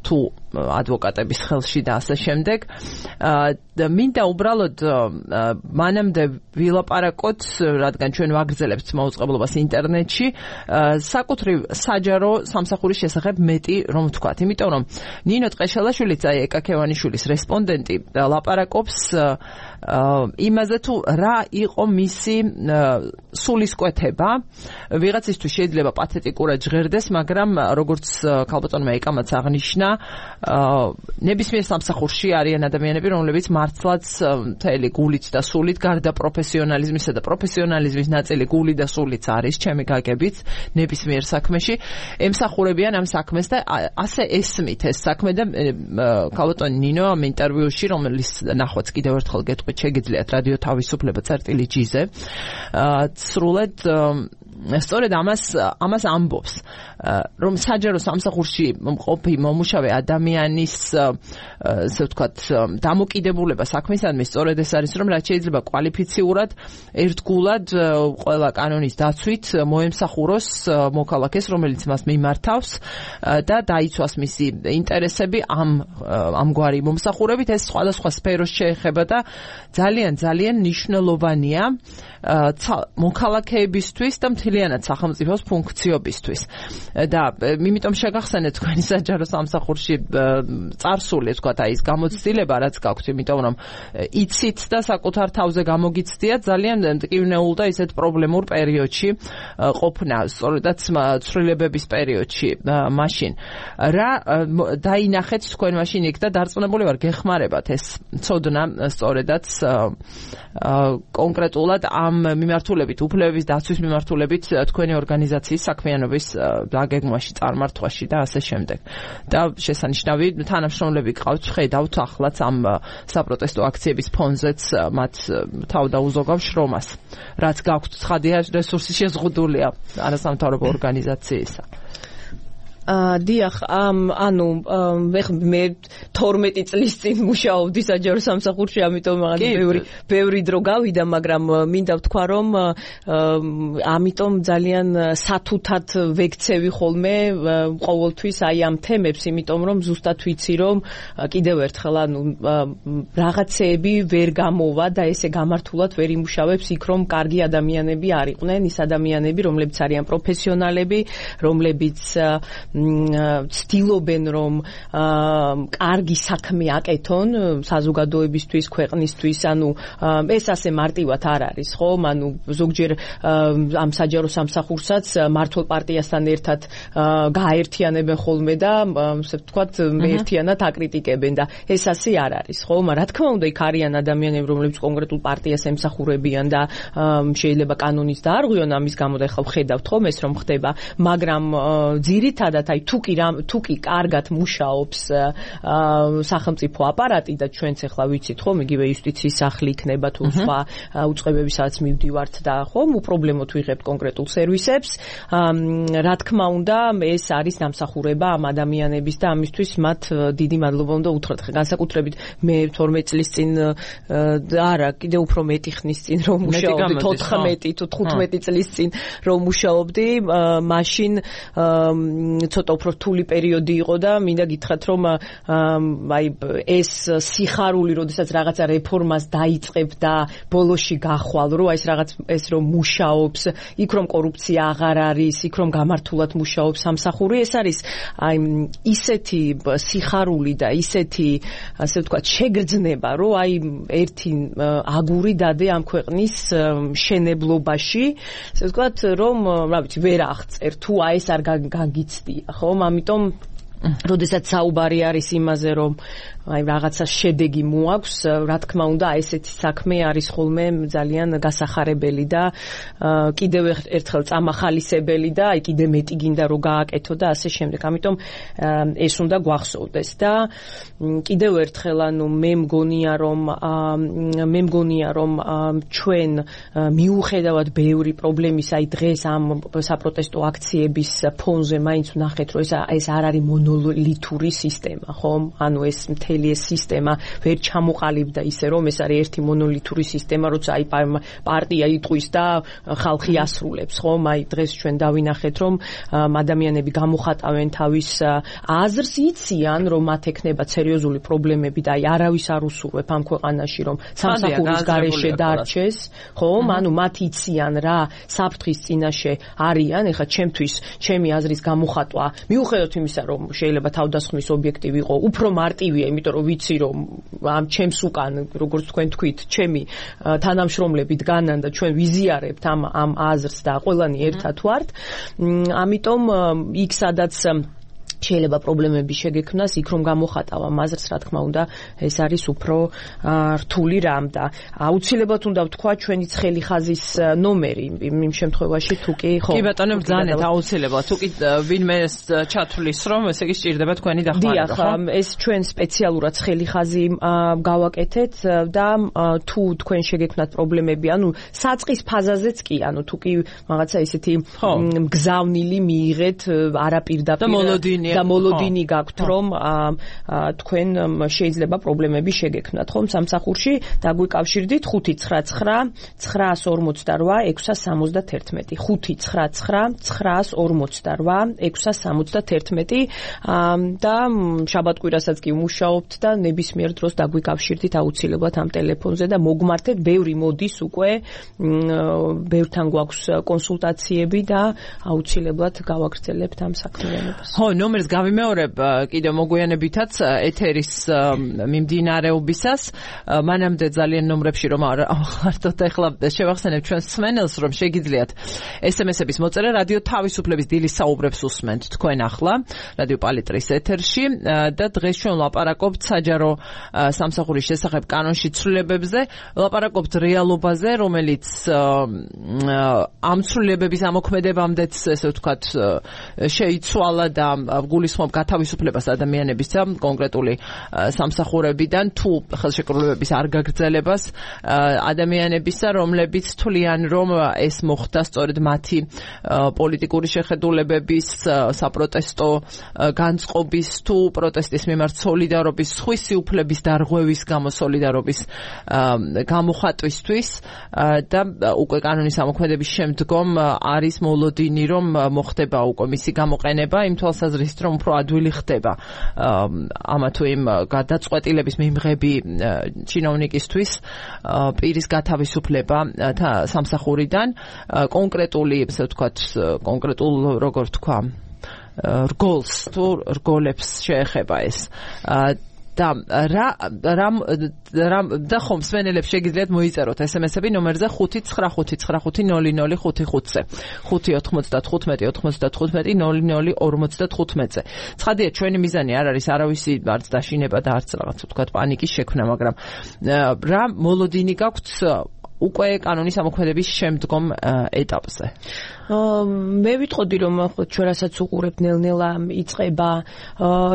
თუ ადვოკატების ხელში და ასე შემდეგ. მინდა უბრალოდ მანამდე ვილაპარაკოთ, რადგან ჩვენ ვაგრძელებთ მაუწყებლობას ინტერნეტში, საკუთრივ საჯარო სამსახურის შესახებ მეტი რომ ვთქვათ, იმიტომ რომ ნინო ტყეშელაშვილიც, აი ეკა ქევანიშვილის რესპონდენტი, ლაპარაკობს იმაზე თუ რა იყო მისი სულისკვეთება. ვიღაცისთვის შეიძლება პათეტიკურად ჟღერდეს, მაგრამ როგორც ქალბატონმა ეკამაც აღნიშნა, ნებისმიერ სამსახურში არიან ადამიანები, რომლებიც მართლაც მთელი გულით და სულით, გარდა პროფესიონალიზმისა და პროფესიონალიზმის ნაწილი გული და სულიც არის, ჩემი გაგებით, ნებისმიერ საქმეში ემსახურებიან ამ საქმეს და ასე ესმით ეს საქმე და ქალბატონი ნინო ამ ინტერვიუში, რომელიც ნახვაც კიდევ ერთხელ გეტყვით, შეგიძლიათ რადიო თავისუფლება წერტილი-ჯი-ზე, სრულად სწორედ ამას ამბობს, რომ საჯარო სამსახურში მყოფი მომუშავე ადამიანის ასე ვთქვათ დამოკიდებულება საქმისადმი სწორედ ეს არის, რომ რაც შეიძლება კვალიფიციურად ერთგულად ყველა კანონის დაცვით მოემსახუროს მოქალაქეს, რომელიც მას მიმართავს და დაიცვას მისი ინტერესები ამგვარი მომსახურებით. ეს სხვადასხვა სფეროს შეეხება და ძალიან მნიშვნელოვანია მოქალაქეებისთვის და მთლიანად სახელმწიფოს ფუნქციობისთვის. და იმიტომ შეგახსენეთ თქვენი საჯარო სამსახურში წარსული, თქვათ, აი ეს გამოცდილება, რაც გაქვთ, იმიტომ რომ იცით და საკუთარ თავზე გამოგიცდიათ ძალიან მტკივნეულ და ისეთ პრობლემურ პერიოდში ყოფნა, სწორედაც ცვლილებების პერიოდში მაშინ. რა დაინახეთ თქვენ მაშინ იქ და დარწმუნებული ვარ, გეხმარებათ ეს ცოდნა სწორედაც კონკრეტულად ამ მიმართულებით, უფლებების დაცვის მიმართულებით შევიდეთ თქვენი ორგანიზაციის საქმიანობის დაგეგმვაში, წარმართვაში და ასე შემდეგ. და შესანიშნავი თანამშრომლები გყავთ, ხედავთ ახლაც ამ საპროტესტო აქციების ფონზეც მათ თავდაუზოგავ შრომას, რაც გაქვთ ცხადია რესურსი შეზღუდულია არასამთავრობო ორგანიზაციისა. დიახ, ანუ მე 12 წლის წინ მუშაობდი საჯარო სამსახურში, ამიტომ ბევრი დრო გავიდა, მაგრამ მინდა ვთქვა, რომ ამიტომ ძალიან სათუთად ვექცევი ხოლმე ყოველთვის აი ამ თემებს, იმიტომ რომ ზუსტად ვიცი, რომ კიდევ ერთხელ ანუ რაღაცეები ვერ გამოვა და ესე გამართულად ვერ იმუშავებს იქ, რომ კარგი ადამიანები არ იყვნენ, ის ადამიანები, რომლებიც არიან პროფესიონალები, რომლებიც ცდილობენ რომ კარგი საქმე აკეთონ საზოგადოებისთვის, ქვეყნისთვის, ანუ ეს ასე მარტივად არ არის, ხო? ანუ ზოგჯერ ამ საჯარო სამსახურსაც მართლ პარტიასთან ერთად გააერთიანებენ ხოლმე და ასე ვთქვათ, ერთიანად აკრიტიკებენ და ეს ასე არ არის, ხო? რა თქმა უნდა, იქ არიან ადამიანები, რომლებიც კონკრეტულ პარტიას ემსახურებიან და შეიძლება კანონის დაარღვიონ ამის გამო და ახლა ვხედავთ ხომ ეს რომ ხდება, მაგრამ ძირითადად აი თუ კი კარგად მუშაობს სახელმწიფო აპარატი და ჩვენც ახლა ვიცით ხომ იგივე იუსტიციის სახლი იქნება თუ სხვა უწყებები სადაც მივდივართ და ხომ უპრობლემოდ ვიღებთ კონკრეტულ სერვისებს, რა თქმა უნდა ეს არის დამსახურება ამ ადამიანების და ამისთვის მათ დიდი მადლობა უნდა უთხრათ. განსაკუთრებით მე 12 წლის წინ არა, კიდე უფრო მეტი ხნის წინ რომ მუშაობდი, 14 თუ 15 წლის წინ რომ მუშაობდი, მაშინ ცოტა უფრო რთული პერიოდი იყო და მინდა გითხრათ რომ აი ეს სიხარული, როდესაც რაღაცა რეფორმას დაიწყებ და ბოლოში გახვალ, რომ აი ეს რაღაც ეს რომ მუშაობს, იქ რომ კორუფცია აღარ არის, იქ რომ გამართულად მუშაობს სამსახური, ეს არის აი ისეთი სიხარული და ისეთი ასე ვთქვათ შეგრძნება, რომ აი ერთი აგური დადე ამ ქვეყნის მშენებლობაში, ასე ვთქვათ, რომ რა ვიცი, ვერ აღწერ თუ აი ეს არ გაგიცდია, ხო? ამიტომ როდესაც საუბარი არის იმაზე, რომ აი რაღაცა შედეგი მოაქვს, რა თქმა უნდა, ესეთი საქმე არის ხოლმე ძალიან გასახარებელი და კიდევ ერთხელ წამახალისებელი და აი კიდე მეტი გინდა რომ გააკეთო და ასე შემდეგ. ამიტომ ეს უნდა გვახსოვდეს და კიდევ ერთხელ ანუ მე მგონია რომ ჩვენ მიუხედავად ბევრი პრობლემის აი დღეს ამ საპროტესტო აქციების ფონზე მაინც ვნახეთ, რომ ეს არ არის მონოლითური სისტემა, ხომ? ანუ ეს მთელი ეს სისტემა ვერ ჩამოყალიბდა ისე, რომ ეს არის ერთი მონოლითური სისტემა, როცა აი პარტია იტყვის და ხალხი ასრულებს, ხომ? აი დღეს ჩვენ დავინახეთ, რომ ადამიანები გამოხატავენ თავის აზრს, იციან, რომ მათ ექნებათ სერიოზული პრობლემები და აი არავის არ უსურვებ ამ ქვეყანაში, რომ სამსახურის გარეშე დარჩეს, ხომ? ანუ მათ იციან რა საფრთხის წინაშე არიან, ეხლა ჩემთვის ჩემი აზრის გამოხატვა, მიუხედავად იმისა, რომ შეიძლება თავდასხმის ობიექტივი იყო, უფრო მარტივია, იმიტომ რომ ვიცი რომ ამ ჩემს უკან, როგორც თქვენ თქვით, ჩემი თანამშრომლები დგანან და ჩვენ ვიზიარებთ ამ აზრს და ყველანი ერთად ვართ. ამიტომ იქ სადაც შეიძლება პრობლემები შეგექმნას, იქ რომ გამოხატავ ამ აზრს, რა თქმა უნდა, ეს არის უფრო რთული რამ და აუცილებლად უნდა ვთქვა ჩვენი ცხელი ხაზის ნომერი იმ შემთხვევაში თუ კი ხო. კი ბატონო, ბრძანეთ აუცილებლად. თუ კი ვინმე ჩათვლის რომ ესე იგი სჭირდება თქვენი დახმარება, ხო? დიახ, ეს ჩვენ სპეციალურად ცხელი ხაზი გავაკეთეთ და თუ თქვენ შეგექმნათ პრობლემები, ანუ საწყის ფაზაზეც კი, ანუ თუ კი რაღაცა ისეთი მგზავნილი მიიღეთ არაპირდაპირ და მოლოდინი გაქვთ, რომ თქვენ შეიძლება პრობლემები შეგექმნათ, ხომ? სამსახურში დაგვიკავშირდით 599 948 671 599 948 671 და შაბათ-კვირასაც კი ვმუშაობთ და ნებისმიერ დროს დაგვიკავშირდით აუცილებლად ამ ტელეფონზე და მოგმართეთ, ბევრი მოდის უკვე, ბევრთან გვაქვს კონსულტაციები და აუცილებლად გავაგრძელებთ ამ საქმიანობას. ხო, ნომერი ნომერს გავიმეორებ კიდევ მოგვიანებითაც ეთერის მიმდინარეობისას მანამდე ძალიან ნომრებში რომ ხართ ეხლა შევახსენებ ჩვენს მსმენელს რომ შეგიძლიათ SMS-ების მოწერა რადიო თავისუფლების დილის საუბრებს უსმენთ თქვენ ახლა რადიო პალიტრის ეთერში და დღეს ჩვენ ლაპარაკობთ საჯარო სამსახურის შესახებ კანონში ცვლილებებზე ლაპარაკობთ რეალობაზე რომელიც ამ ცვლილებების ამოქმედებამდეც ესე ვთქვათ შეიცვალა და გულისხმობ გათავისუფლებას ადამიანებისა კონკრეტული სამსახურებიდან თუ ხელშეკრულებების არ გაგრძელებას ადამიანებისა რომლებიც თვლიან რომ ეს მოხდა სწორედ მათი პოლიტიკური შეხედულებების საპროტესტო განწყობის თუ პროტესტის მიმართ სოლიდარობის სხვისი უფლების დარღვევის გამო სოლიდარობის გამოხატვისთვის და უკვე კანონის ამოქმედების შემდგომ არის მოლოდინი რომ მოხდება უკვე მისი გამოყენება იმ თვალსაზრისით რომ უფრო ადვილი ხდება ამა თუ იმ გადაწყვეტილების მიმღები ჩინოვნიკისთვის პირის გათავისუფლება სამსახურიდან კონკრეტული ესე ვთქვათ კონკრეტულ როგორ თქვა რგოლს თუ რგოლებს შეეხება ეს და და ხომ მსმენელებს შეგიძლიათ მოიწეროთ SMS-ები ნომერზე 595990555-ზე 595-95-95-00-55-ზე. ცხადია ჩვენი მიზანი არ არის არავისი არც დაშინება და არც რაღაც ვთქვათ პანიკის შექმნა, მაგრამ რა მოლოდინი გაქვთ უკვე კანონის ამოქმედების შემდგომ ეტაპზე. მე ვიტყოდი რომ ჩვენ რასაც უყურებთ ნელ-ნელა იწყება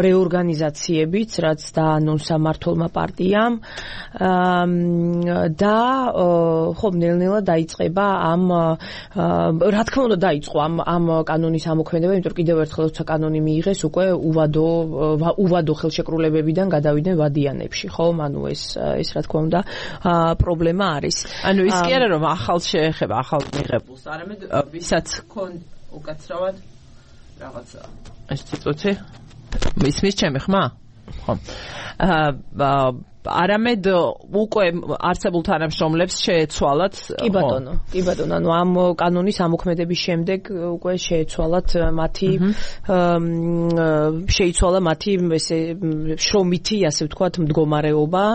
რეორგანიზაციებიც რაც დაანონსა მმართველმა პარტიამ და ხომ ნელ-ნელა დაიწყება ამ რა თქმა უნდა დაიწყო ამ კანონის ამოქმედება იმიტომ კიდევ ერთხელ როცა კანონი მიიღეს უკვე უვადო ხელშეკრულებებიდან გადავიდნენ ვადიანებში ხომ ანუ ეს რა თქმა უნდა პრობლემა არის ანუ ის კი არა რომ ახალ შეეხება ახალ მიღებულს არამედ ვისაც უკაცრავად რაღაცა ეს ცოტა ისმის ჩემი ხმა ხო არამედ უკვე არსებულ თანამშრომლებს შეეცვალათ კი ბატონო ანუ ამ კანონის ამოქმედების შემდეგ უკვე შეეცვალათ მათი შეიცვალა მათი ესე შრომითი ასე ვთქვათ მდგომარეობა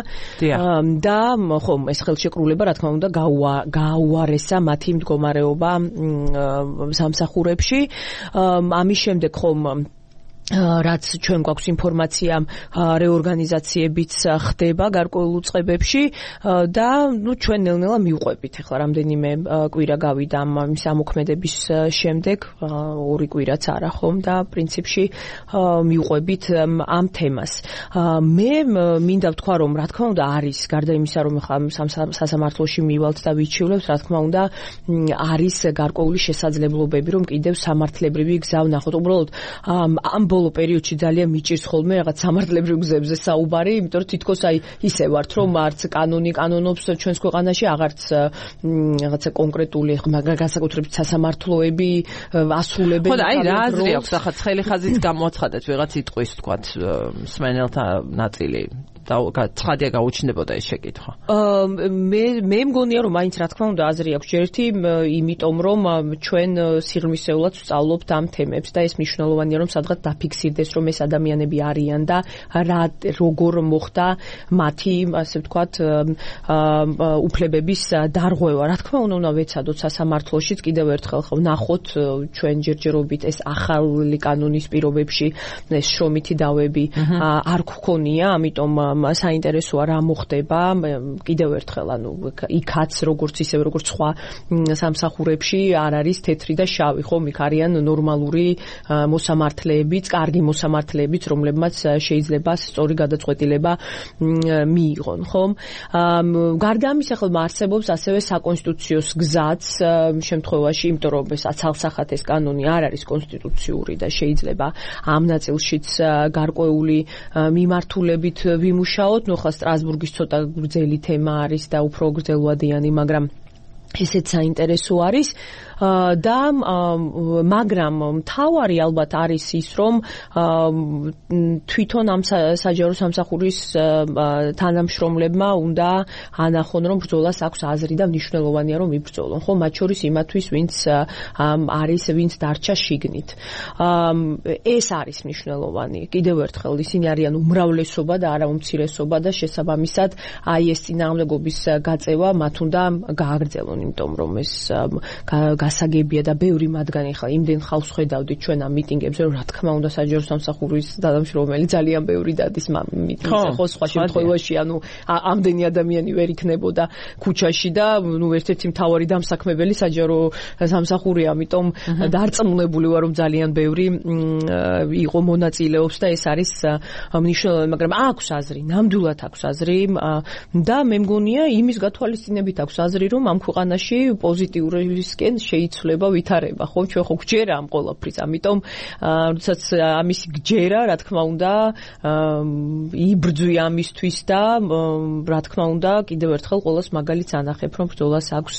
და ხომ ეს ხელშეკრულება რა თქმა უნდა გაუარესა მათი მდგომარეობა სამსახურებში ამის შემდეგ ხომ რაც ჩვენ გვაქვს ინფორმაცია რეორგანიზაციებიც ხდება გარკვეულ უწყებებში და ნუ ჩვენ ნელ-ნელა მივყვებით ახლა რამდენიმე კვირა გავიდა ამის ამოქმედების შემდეგ 2 კვირაც არა ხომ და პრინციპში მივყვებით ამ თემას მე მინდა ვთქვა რომ რა თქმა უნდა არის გარდა იმისა რომ ახლა სასამართლოში მივალთ და ვიჩივლებთ რა თქმა უნდა არის გარკვეული შესაძლებლობები რომ კიდევ სამართლებრივი გზა ვნახოთ უბრალოდ ამ ბოლო პერიოდში ძალიან მიჭირს ხოლმე რაღაც სამართლებრივ გზებზე საუბარი, იმიტომ რომ თითქოს აი ისე ვართ, რომ არც კანონი კანონობს ჩვენს ქვეყანაში, აღარც რაღაცა კონკრეტული განსაკუთრებით სასამართლოები ასრულებენ. ხო და აი რა აზრი აქვს ახლა ცხელი ხაზით გამოაცხადეთ ვიღაც სიტყვის თქვათ მსმენელთა ნაწილი და ცხადია გაუჩნდებოდა ეს შეკითხვა. მე მგონია რომ მაინც რა თქმა უნდა აზრი აქვს ჯერთი, იმიტომ რომ ჩვენ სიღრმისეულად ვსწავლობთ ამ თემებს და ეს მნიშვნელოვანია რომ სადღაც დაფიქსირდეს რომ ეს ადამიანები არიან და როგორ მოხდა მათი ასე ვთქვათ უფლებების დარღვევა. რა თქმა უნდა ვეცადოთ სასამართლოშიც კიდევ ერთხელ ვნახოთ ჩვენ ჯერჯერობით ეს ახალი კანონის პირობებში ეს შრომითი დავები არ გქონია, ამიტომ საინტერესოა რა მოხდება კიდევ ერთხელ ანუ იქაც როგორც ისევ როგორც სხვა სამსახურებში არ არის თეთრი და შავი ხომ იქ არიან ნორმალური მოსამართლეებიც, კარგი მოსამართლეებიც რომლებმაც შეიძლება სწორი გადაწყვეტილება მიიღონ ხომ გარდა ამისა ხოლმე არსებობს ასევე საკონსტიტუციოს გზაც შემთხვევაში იმიტომ რომ ეს აცალსახად ეს კანონი არ არის კონსტიტუციური და შეიძლება ამ ნაწილშიც გარკვეული მიმართულებით ვიმუშაოთ, ნუ ხა სტრასბურგის ცოტა გრძელი თემა არის და უფრო გრძელვადიანი, მაგრამ ესეც საინტერესო არის. და მაგრამ მთავარი ალბათ არის ის, რომ თვითონ ამ საჯარო სამსახურის თანამშრომლებმა უნდა ანახონ, რომ ბრძოლას აქვს აზრი და მნიშვნელოვანია, რომ იბრძოლონ, ხო, მათ შორის იმათვის, ვინც დარჩა შიგნით. ეს არის მნიშვნელოვანი. კიდევ ერთხელ ისინი არიან უმრავლესობა და არა უმცირესობა და შესაბამისად აი ეს წინააღმდეგობის გაწევა მათ უნდა გააგრძელონ, იმიტომ რომ ეს გასაგებია და ბევრი მათგანი ხა იმდენ ხალხს ხედავდით ჩვენ ამ მიტინგებზე, რომ რა თქმა უნდა საჯარო სამსახურის თანამშრომელი ძალიან ბევრი დადის მიტინგზე, ხო, სხვა შემთხვევაში ამდენი ადამიანი ვერ იქნებოდა ქუჩაში და ერთ-ერთი მთავარი დამსაქმებელი საჯარო სამსახურია, ამიტომ დარწმუნებული ვარ, რომ ძალიან ბევრი იყო მონაწილეობს და ეს არის მნიშვნელოვანი, მაგრამ აქვს აზრი, ნამდვილად აქვს აზრი და მე მგონია იმის გათვალისწინებით აქვს აზრი, რომ ამ ქვეყანაში პოზიტიურისკენ შეიცვლება ვითარება, ხო, ჩვენ ხო გჯერა ამ ყველაფრის, ამიტომ როდესაც ამისი გჯერა, რა თქმა უნდა, იბრძვი ამისთვის და რა თქმა უნდა, კიდევ ერთხელ ყოველს მაგალითს ანახებ, რომ ბრძოლას აქვს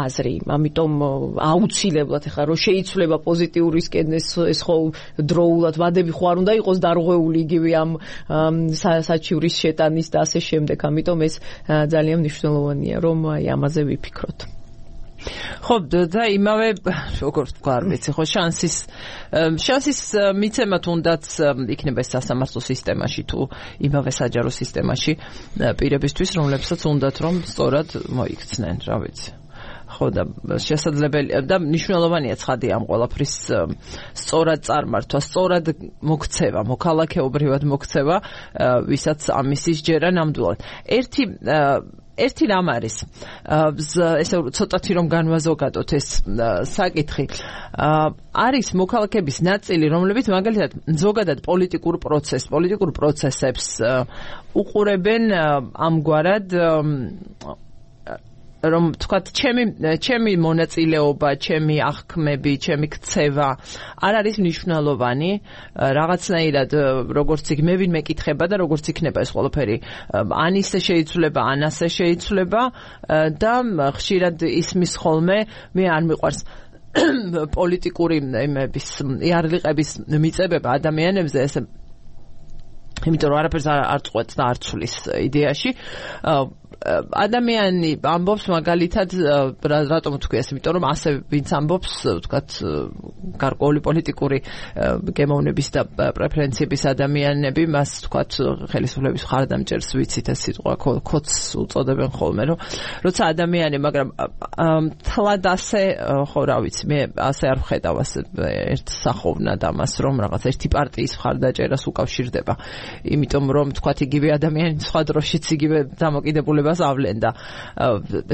აზრი, ამიტომ აუცილებლად ეხლა რომ შეიცვლება პოზიტიურისკენ ეს ხო დროულად ვადები ხო არ უნდა იყოს დარღვეული იგივე ამ საჩივრის შეტანის და ასე შემდეგ, ამიტომ ეს ძალიან მნიშვნელოვანია, რომ აი ამაზე ვიფიქროთ. ხო და იმავე როგორც თქვა არ ვიცი ხო შანსის მიცემა თუნდაც იქნება სასამართლო სისტემაში თუ იმავე საჯარო სისტემაში პირებისთვის რომლებსაც უნდათ რომ სწორად მოიქცნენ რა ვიცი ხო და შესაძლებელი და მნიშვნელოვანია ცხადია ამ ყველაფრის სწორად წარმართვა, სწორად მოქცევა, მოქალაქეობრივად მოქცევა, ვისაც ამისის ჯერა ნამდვილად. ერთი რამ არის ესე ცოტათი რომ განვაზოგადოთ ეს საკითხი არის მოქალაქეების ნაწილი რომლებიც მაგალითად ზოგადად პოლიტიკურ პროცესებს უყურებენ ამგვარად რომ თქვათ ჩემი მონაწილეობა, ჩემი აღქმები, ჩემი ქცევა არ არის მნიშვნელოვანი რაღაცნაირად როგორც იქ მე ვინმე კითხება და როგორც იქნება ეს ყველაფერი ან ისე შეიცვლება, ან ასე შეიცვლება და ხშირად ისმის ხოლმე მე არ მიყვარს პოლიტიკური იმების იარლიყების მიწებება ადამიანებზე ესე იმიტომ რომ არაფერს არ წყვეტს და არ ცვლის იდეაში ადამიანი ამბობს მაგალითად რატომ თქვი ეს იმიტომ რომ ასე ვინც ამბობს ვთქვათ გარკვეული პოლიტიკური გემოვნების და პრეფერენციების ადამიანები მას ვთქვათ ხელისუფლების მხარდამჭერს ვიცით ეს სიტყვა კოც უწოდებენ ხოლმე რომ როცა ადამიანი მაგრამ თლად ასე ხო რა ვიცი მე ასე არ ვხედავ ასე ერთ სახოვნად ამას რომ რაღაც ერთი პარტიის მხარდაჭერას უკავშირდება იმიტომ რომ ვთქვათ იგივე ადამიანი სხვა დროშიც იგივე დამოკიდებულება ავლენ და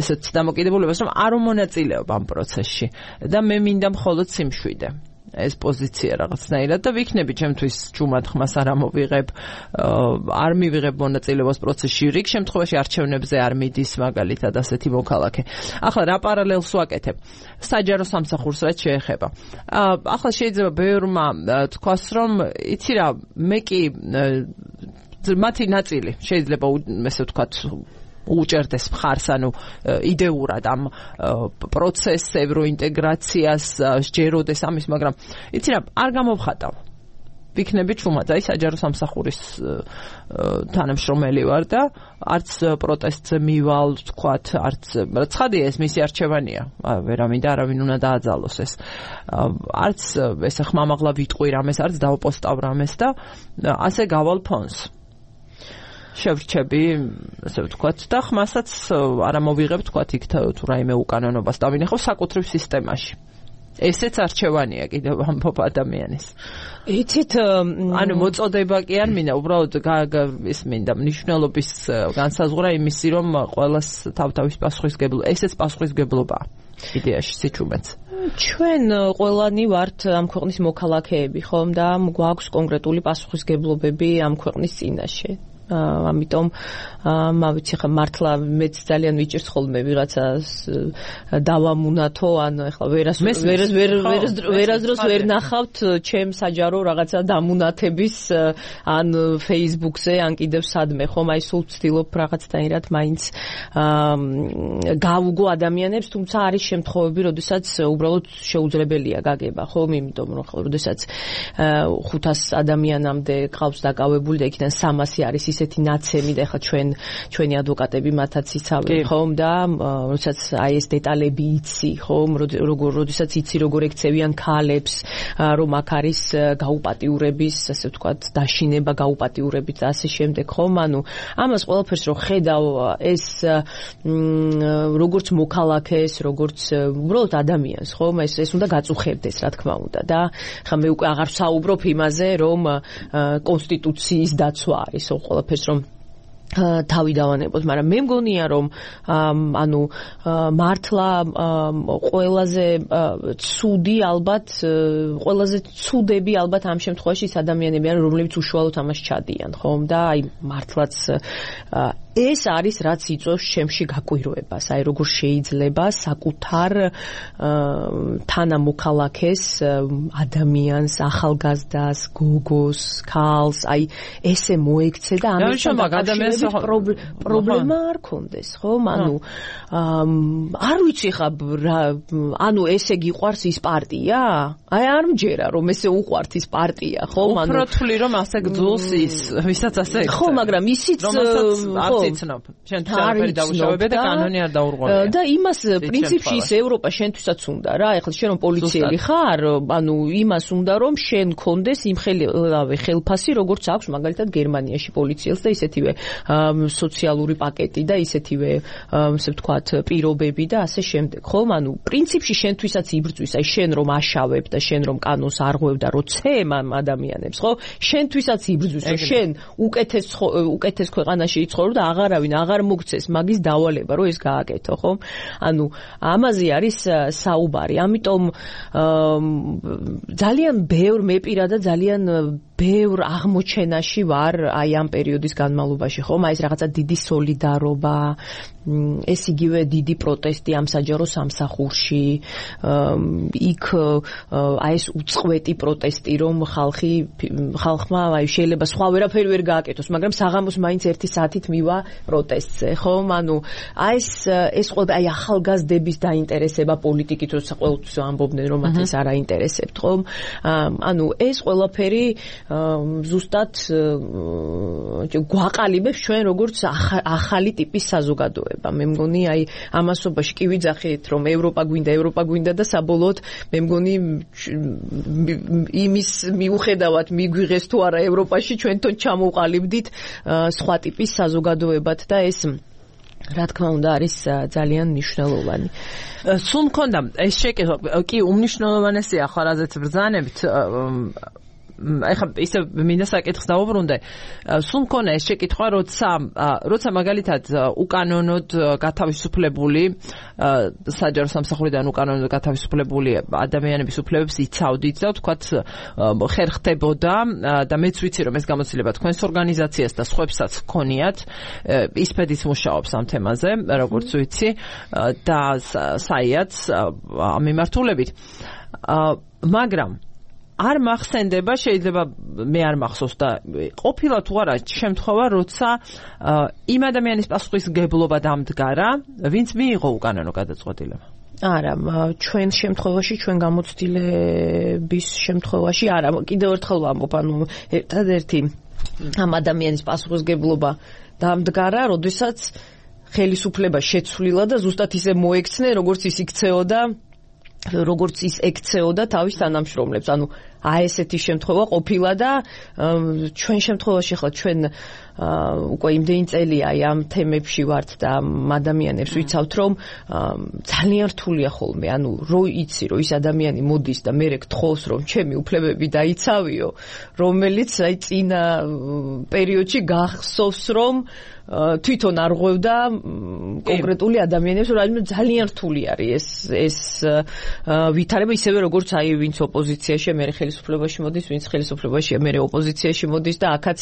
ესეც დამოკიდებულებას რომ არ უმონაწილეობ ამ პროცესში და მე მინდა მხოლოდ სიმშვიდე ეს პოზიცია რაღაცნაირად და ვიქნები ჩემთვის ჯუმად ხმას არ ამოვიღებ არ მივიღებ მონაწილეობას პროცესში რიგ შემთხვევაში არჩევნებზე არ მიდის მაგალითად ასეთი მოქალაქე ახლა რა პარალელს ვაკეთებ საჯარო სამსახურს რაც შეეხება ახლა შეიძლება ბევრმა თქვას რომ იცი რა მე კი მათი ნაწილი შეიძლება ესე ვთქვათ უჭერდეს მხარს ანუ იდეურად ამ პროცესს ევროინტეგრაციას სჯეროდეს ამის მაგრამ იცი რა არ გამოვხატავ ვიქნები ჩუმად აი საჯარო სამსახურის თანამშრომელი ვარ და არც პროტესტზე მივალ ვთქვათ არც ცხადია ეს მისი არჩევანია ვერა მინდა არავინ უნდა დააძალოს ეს არც ესე ხმამაღლა ვიტყვი რამეს არც დავპოსტავ რამეს და ასე გავალ ფონს შევრჩები, ასე ვთქვათ, და ხმასაც არ ამოვიღებ, ვთქვათ, იქ თუ რაიმე უკანონობას დავინახავ საკუთრივ სისტემაში. ესეც არჩევანია კიდევ ამბობ ადამიანის. იცით, ანუ მოწოდება კი არ მინდა, უბრალოდ ის მინდა მნიშვნელობის განსაზღვრა იმისი, რომ ყველას თავთავის პასუხისგებლობა, ესეც პასუხისგებლობაა. იდეაში სიჩუმეც. ჩვენ ყველანი ვართ ამ ქვეყნის მოქალაქეები, ხომ და გვაქვს კონკრეტული პასუხისგებლობები ამ ქვეყნის წინაშე. ამიტომ ვიცი ხა მართლა მეც ძალიან ვიჭირს ხოლმე ვიღაცას დავამუნათო ან ეხლა ვერასდროს ვერ ნახავთ ჩემ საჯარო რაღაცა დამუნათების ან Facebook-ზე ან კიდევ სადმე ხომ აი სულ ვცდილობ რაღაცნაირად მაინც გავუგო ადამიანებს თუმცა არის შემთხვევები როდესაც უბრალოდ შეუძლებელია გაგება ხომ იმიტომ რომ ხო როდესაც 500 ადამიანამდე ყავს დაკავებული და იქიდან 300 არის ისეთი ნაცემი და ეხლა ჩვენი ადვოკატები მათაც იცავენ ხომ და როდესაც აი ეს დეტალები იცი ხომ როდესაც იცი როგორ ექცევიან ქალებს რომ აქ არის გაუპატიურების ასე ვთქვათ დაშინება გაუპატიურებით და ასე შემდეგ ხომ ანუ ამას ყველაფერს რო ხედავ ეს როგორც მოქალაქეს როგორც უბრალოდ ადამიანს ხომ ეს უნდა გაწუხებდეს რა თქმა უნდა და ხა მე უკვე აღარ ვსაუბრობ იმაზე რომ კონსტიტუციის დაცვა არის ყველაფერს რომ თავი დავანებოთ, მაგრამ მე მგონია რომ ანუ მართლა ყველაზე ცუდი ალბათ ყველაზე ცუდები ალბათ ამ შემთხვევაში ის ადამიანები არის რომლებიც უშუალოდ ამას ჩადიან, ხომ და აი მართლაც ეს არის რაც იწვევს შემში გაკვირვებას, აი როგორ შეიძლება საკუთარ თანამოქალაქეს ადამიანს, ახალგაზრდას, გოგოს, ქალს, აი ესე მოექცე და ამისთან დაკავშირებით პრობლემა არ კონდეს, ხო? ანუ არ ვიცი ხა ანუ ესე გიყვარს ის პარტია? აი არ მჯერა რომ ესე უყვართ ის პარტია, ხო? ანუ უფრო თვლი რომ ასე გძულს ის, ვისაც ასე ხო, მაგრამ ისიც იცნობ. შენ თარფერი დაუშავებე და კანონი არ დაურღვევია. და იმას პრინციპში ის ევროპა შენთვისაც უნდა რა. ეხლა შენ რომ პოლიციელი ხარ, ანუ იმას უნდა რომ შენ კონდეს იმ ხელფასი, როგორც აქვს მაგალითად გერმანიაში პოლიციელს და ისეთივე სოციალური პაკეტი და ისეთივე ასე ვთქვათ პირობები და ასე შემდეგ. ხომ? ანუ პრინციპში შენთვისაც იბრძვის, აი შენ რომ აშავებ და შენ რომ კანონს არღვევ და რო ცემ ამ ადამიანებს, ხო? შენთვისაც იბრძვის, რომ შენ უკეთეს ქვეყანაში იცხოვრო და აღარ მოგცეს მაგის დავალება რომ ეს გააკეთო, ხო? ანუ ამაზე არის საუბარი. ამიტომ ძალიან ბევრ მე პირადად ძალიან ბევრ აღმოჩენაში ვარ აი ამ პერიოდის განმავლობაში, ხომ? აი ეს რაღაცა დიდი სოლიდარობა, ეს იგივე დიდი პროტესტი ამ საჯარო სამსახურში, იქ აი ეს უწყვეტი პროტესტი, რომ ხალხმა აი შეიძლება სხვა ვერაფერი ვერ გააკეთოს, მაგრამ საღამოს მაინც 1 საათით მივა პროტესტზე, ხომ? ანუ აი ეს ყველა აი ახალგაზრდების დაინტერესება პოლიტიკით, როცა ყოველთვის ამბობდნენ, რომ მათ ეს არ აინტერესებთ, ხომ? ანუ ეს ყველაფერი ზუსტად გვაყალიბებს ჩვენ როგორც ახალი ტიპის საზოგადოება. მე მგონი აი ამასობაში კი ვიძახით რომ ევროპა გვინდა და საბოლოოდ მე მგონი იმის მიუხედავად მიგვიღეს თუ არა ევროპაში ჩვენ თვითონ ჩამოვყალიბდით სხვა ტიპის საზოგადოებად და ეს რა თქმა უნდა არის ძალიან მნიშვნელოვანი. სულ მქონდა ეს შეკითხვა კი უმნიშვნელოვანესია ხო რაზეც ბრძანებით ეხლა ისე მინდა საკითხს დავუბრუნდე. სულ მქონდა ეს შეკითხვა, როცა მაგალითად უკანონოდ გათავისუფლებული საჯარო სამსახურიდან უკანონოდ გათავისუფლებული ადამიანების უფლებებს იცავდით და ვთქვათ ხერხდებოდა და მეც ვიცი რომ ეს გამოცდილება თქვენს ორგანიზაციას და სხვებსაც გქონიათ ისპედიც მუშაობს ამ თემაზე როგორც ვიცი და საიაც ამ მიმართულებით მაგრამ არ მახსენდება, შეიძლება მე არ მახსოვს და ყოფილა თუ არა შემთხვევა, როცა იმ ადამიანის პასუხისმგებლობა დამდგარა, ვინც მიიღო უკანონო გადაწყვეტილება. არა, ჩვენ შემთხვევაში, ჩვენ გამოცდილების შემთხვევაში არა, კიდევ ერთხელ ვამბობ, ანუ ერთადერთი ამ ადამიანის პასუხისმგებლობა დამდგარა, როდესაც ხელისუფლება შეცვლილა და ზუსტად ისე მოექცნენ, როგორც ის იქცეოდა როგორც ის ექცეოდა თავის თანამშრომლებს. ანუ აი ესეთი შემთხვევა ყოფილა და ჩვენ შემთხვევაში ხლა ჩვენ უკვე იმდენი წელია აი ამ თემებში ვართ და ადამიანებს ვიცავთ რომ ძალიან რთულია ხოლმე. ანუ რო იცი რომ ის ადამიანი მოდის და მე გთხოვს რომ ჩემი უფლებები დაიცავიო, რომელიც აი წინა პერიოდში გახსოვს რომ თვითონ არ ღვევდა კონკრეტული ადამიანებს, რომ ძალიან რთული არის ეს ვითარება ისევე როგორც აი ვინც ოპოზიციაში მე ხელისუფლებას ხელისუფლებაში მოდის, ვინც ხელისუფლებაშია, მე ოპოზიციაში მოდის და აქაც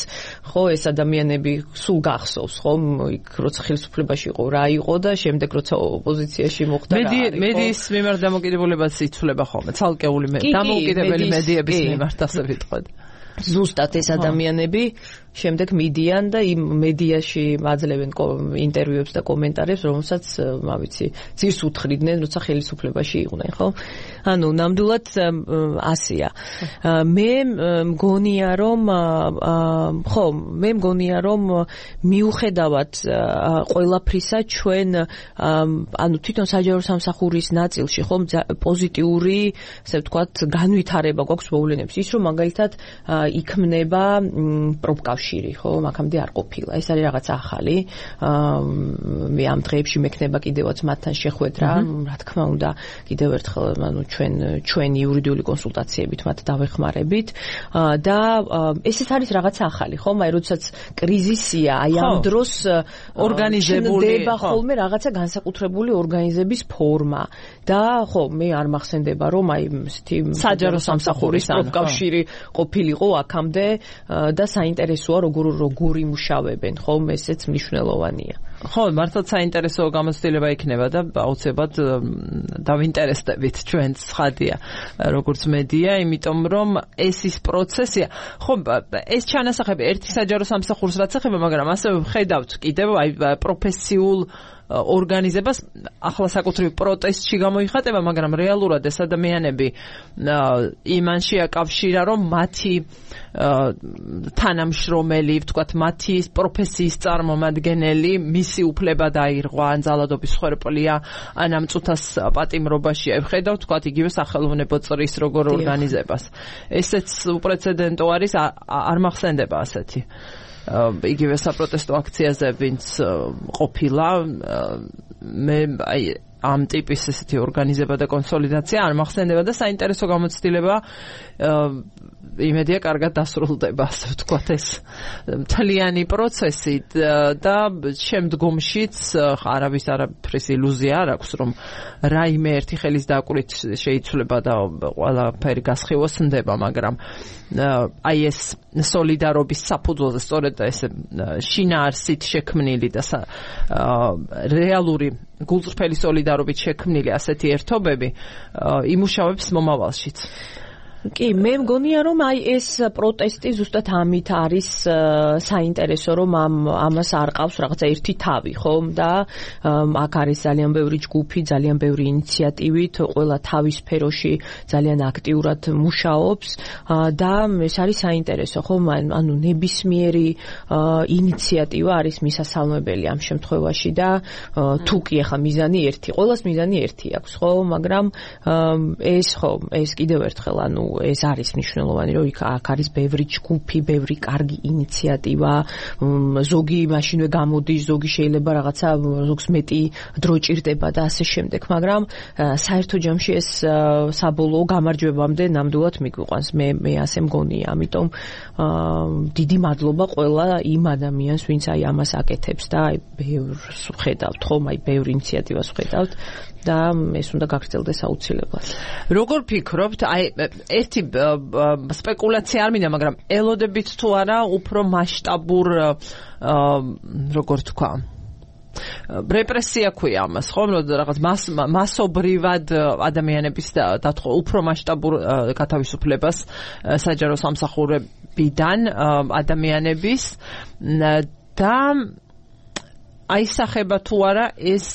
ხო ეს ადამიანები სულ გახსოვს, ხო, იქ როცა ხელისუფლებაში იყო რა იყო და შემდეგ როცა ოპოზიციაში მოხდა რა არის. მედიის მიმართ დამოკიდებულებაც იცვლება ხოლმე, ცალკეული დამოუკიდებელი მედიების მიმართ ასე ვიტყოდ. ზუსტად ეს ადამიანები შემდეგ მიდიან და იმ მედიაში აძლევენ ინტერვიუებს და კომენტარებს, რომელსაც ვიცი, ძირს უთხრიდნენ, როცა ხელისუფლებაში იყვნენ, ხო? ანუ ნამდვილად ასია. მე მგონია რომ მიუხედავად ყველაფრისა ჩვენ ანუ თვითონ საჯარო სამსახურის ნაწილში ხო პოზიტიური, ასე ვთქვათ, განვითარება გვაქვს მოვლენებს. ის რომ მაგალითად იქმნება პროფკავშირი, ხო, მაგამდე არ ყოფილა. ეს არის რაღაც ახალი. მე ამ დღეებში მექნება კიდევაც მათთან შეხვედრა, რა თქმა უნდა, კიდევ ერთხელ, ანუ ჩვენ იურიდიული კონსულტაციებით მათ დავეხმარებით და ესეც არის რაღაც ახალი, ხო? მაგრამ როდესაც კრიზისია, აი ამ დროს ორგანიზებული ხოლმე რაღაცა განსაკუთრებული ორგანიზების ფორმა და ხო, მე არ მახსენდება რომ აი ესეთი საჯარო სამსახურის პროფკავშირი ყოფილიყო აქამდე და საინტერესოა როგორ იმუშავებენ, ხო, ესეც მნიშვნელოვანია. ხო, მართლაც საინტერესო გამოცდილება იქნება და აუცილებლად დავინტერესდებით ჩვენც ცხადია, როგორც მედია, იმიტომ რომ ეს ის პროცესია. ხო, ეს ჩანასახები ერთი საჯარო სამსახურს რაც ეხება, მაგრამ ასე ვხედავთ კიდევ აი პროფესიულ ორგანიზებას ახლა საკუთრივ პროტესტში გამოიხატება, მაგრამ რეალურად ეს ადამიანები იმანში აკავშირა, რომ მათი თანამშრომელი, ვთქვათ, მათი პროფესიის წარმომადგენელი მისი უფლება დაირღვა, ან ძალადობის ხერპლია, ან ამ წუთას პატიმრობაშია. ვხედავ, ვთქვათ, იგივე სახელმწიფო წრის როგორ ორგანიზებას. ესეც უპრეცედენტო არის, არ მახსენდება ასეთი. იგივე საპროტესტო აქციაზე ვინც ყოფილა, მე აი ამ ტიპის ესეთი ორგანიზება და კონსოლიდაცია არ მახსენდება და საინტერესო გამოცდილება იმედია კარგად დასრულდება, ასე ვთქვათ, ეს მთლიანი პროცესი და შემდგომშიც არავის არაფრის ილუზია არ აქვს, რომ რაიმე ერთი ხელის დაკვირით შეიცვლება და ყველაფერი გასხივოსნდება, მაგრამ აი ეს სოლიდარობის საფუძველზე სწორედ ეს შინაარსით შექმნილი და რეალური გულწრფელი სოლიდარობით შექმნილი ასეთი ერთობები იმუშავებს მომავალშიც. კი, მე მგონია რომ აი ეს პროტესტი ზუსტად ამით არის საინტერესო, რომ ამას არ ყავს რაღაცა ერთი თავი, ხო? და აქ არის ძალიან ბევრი ჯგუფი, ძალიან ბევრი ინიციატივით, ყველა თავის სფეროში ძალიან აქტიურად მუშაობს და ეს არის საინტერესო, ხო? ანუ ნებისმიერი ინიციატივა არის მისასალმებელი ამ შემთხვევაში და თუ კი ახლა მიზანი ერთი, ყველას მიზანი ერთი აქვს, ხო? მაგრამ ეს კიდევ ერთხელ ანუ ეს არის მნიშვნელოვანი, რომ აქ არის ბევრი ჯგუფი, ბევრი კარგი ინიციატივა, ზოგი მაშინვე გამოდის, ზოგი შეიძლება რაღაცა ზოგს მეტი დრო ჭირდება და ასე შემდეგ, მაგრამ საერთო ჯამში ეს საბოლოო გამარჯვებამდე ნამდვილად მიგვიყვანს. მე ასე მგონია, ამიტომ დიდი მადლობა ყველა იმ ადამიანს, ვინც აი ამას აკეთებს და აი ბევრს ვხედავთ, ხომ, აი ბევრ ინიციატივას ვხედავთ. და ეს უნდა გაგრძელდეს აუცილებლად. როგორ ფიქრობთ, აი ერთი სპეკულაცია არ მინდა, მაგრამ ელოდებით თუ არა უფრო მასშტაბურ როგორ თქვა რეპრესია ქვია ამას, ხო? რაღაც მასობრივად ადამიანების დათხოვა, უფრო მასშტაბურ გათავისუფლებას საჯარო სამსახურებიდან ადამიანების და აისახება თუ არა ეს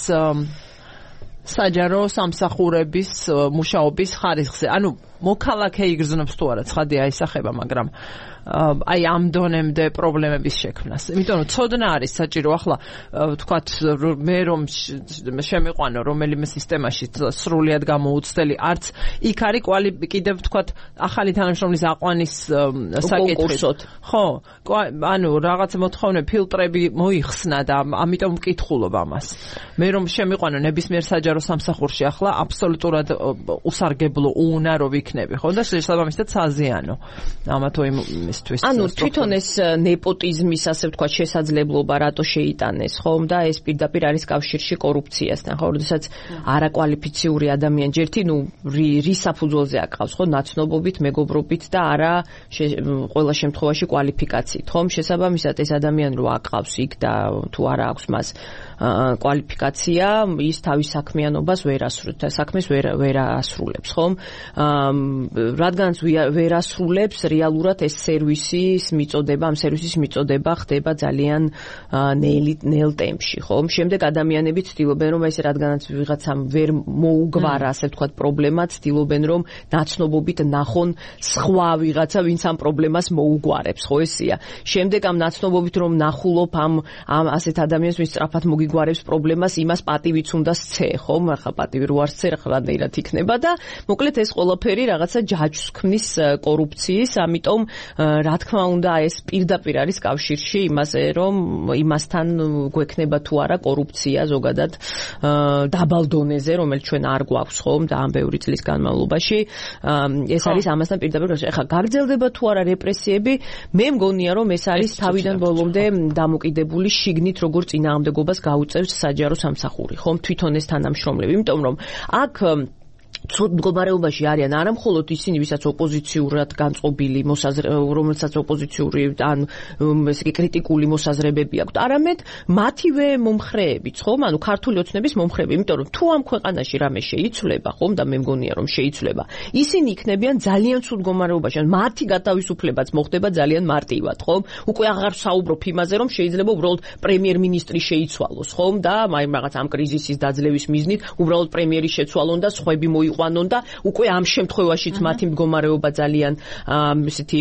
საჯარო სამსახურების მუშაობის ხარისხზე. ანუ მოქალაქე იგრძნობს თუ არა, ცხადია აისახება, მაგრამ აი ამ დონემდე პრობლემების შექმნას. იმიტომ რომ ცოდნა არის საჭირო, ახლა ვთქვათ, მე რომ შემიყვანო რომელიმე სისტემაში სრულიად გამოუცდელი, არც იქ არის კიდევ ვთქვათ ახალი თანამშრომლის აყვანის საკითხით. ხო, ანუ რაღაც მოთხოვნა ფილტრები მოიხსნა და ამიტომ ვკითხულობ ამას. მე რომ შემიყვანო ნებისმიერ საჯარო სამსახურში ახლა აბსოლუტურად უსარგებლო უუნარო იქნები, ხო და შესაბამისად საზიანო ამა თუ იმისთვის. ანუ თვითონ ეს ნეპოტიზმის ასე ვთქვათ შესაძლებლობა რატო შეიტანეს, ხომ და ეს პირდაპირ არის კავშირში კორუფციასთან, ხო, როდესაც არაკვალიფიციური ადამიანი ჯერთი, რის საფუძველზე აკყავს, ხო, ნაცნობობით, მეგობრობით და არა ყველა შემთხვევაში კვალიფიკაციით, ხომ, შესაბამისად ეს ადამიანი რო აკყავს იქ და თუ არა აქვს მას კვალიფიკაცია, ის თავის საქმიანობას საქმეს ვერ ასრულებს, ხომ? რადგანაც ვერ ასრულებს, რეალურად ეს სერვისის მიწოდება ხდება ძალიან ნელ ტემპში, ხომ? შემდეგ ადამიანები ცდილობენ, რომ ეს რადგანაც ვიღაცამ ვერ მოუგვარა, ასე ვთქვათ, პრობლემა, ცდილობენ, რომ ნაცნობობით ნახონ სხვა ვიღაცა, ვინც ამ პრობლემას მოუგვარებს, ხო ესია? შემდეგ ამ ნაცნობობით რომ ნახულობ ამ ასეთ ადამიანს, ვინც სწრაფად მოგიგვარებს პრობლემას, იმას პატივიც უნდა სცე, ხომ? ახლა პატივი რო არ სცე, ახლა რანაირად იქნება და მოკლედ ეს ყველაფერი რაღაცა ჯაჭვს ქმნის კორუფციის, ამიტომ რა თქმა უნდა ეს პირდაპირ არის კავშირში იმაზე, რომ იმასთან გვექნება თუ არა კორუფცია ზოგადად დაბალ დონეზე, რომელიც ჩვენ არ გვაქვს, ხომ? და ამ ბევრი წლის განმავლობაში ეს არის ამასთან პირდაპირ. ახლა გაგრძელდება თუ არა რეპრესიები, მე მგონია რომ ეს არის თავიდან ბოლომდე დამოკიდებული შიგნით როგორ წინააღმდეგობას გაუწევს საჯარო სამსახური, ხომ? თვითონ ეს თანამშრომლები, იმიტომ რომ აქ ცუდ მდგომარეობაში არიან არა მხოლოდ ისინი, ვისაც ოპოზიციურად განწყობილი რომელსაც ოპოზიციური ან ესე იგი კრიტიკული მოსაზრებები აქვთ, არამედ მათივე მომხრეებიც, ხომ? ანუ ქართული ოცნების მომხრეები, იმიტომ რომ თუ ამ ქვეყანაში რამე შეიცვლება, ხომ და მე მგონია რომ შეიცვლება, ისინი იქნებიან ძალიან ცუდ მდგომარეობაში, ან მათი გათავისუფლებაც მოხდება ძალიან მარტივად, ხომ? უკვე აღარ საუბრობ იმაზე, რომ შეიძლება უბრალოდ პრემიერ-მინისტრი შეიცვალოს, ხომ? და აი რაღაც ამ კრიზისის დაძლევის მიზნით უბრალოდ პრემიერი შეცვალონ და სხვები მოიყვანონ და უკვე ამ შემთხვევაშიც მათი მდგომარეობა ძალიან ესეთი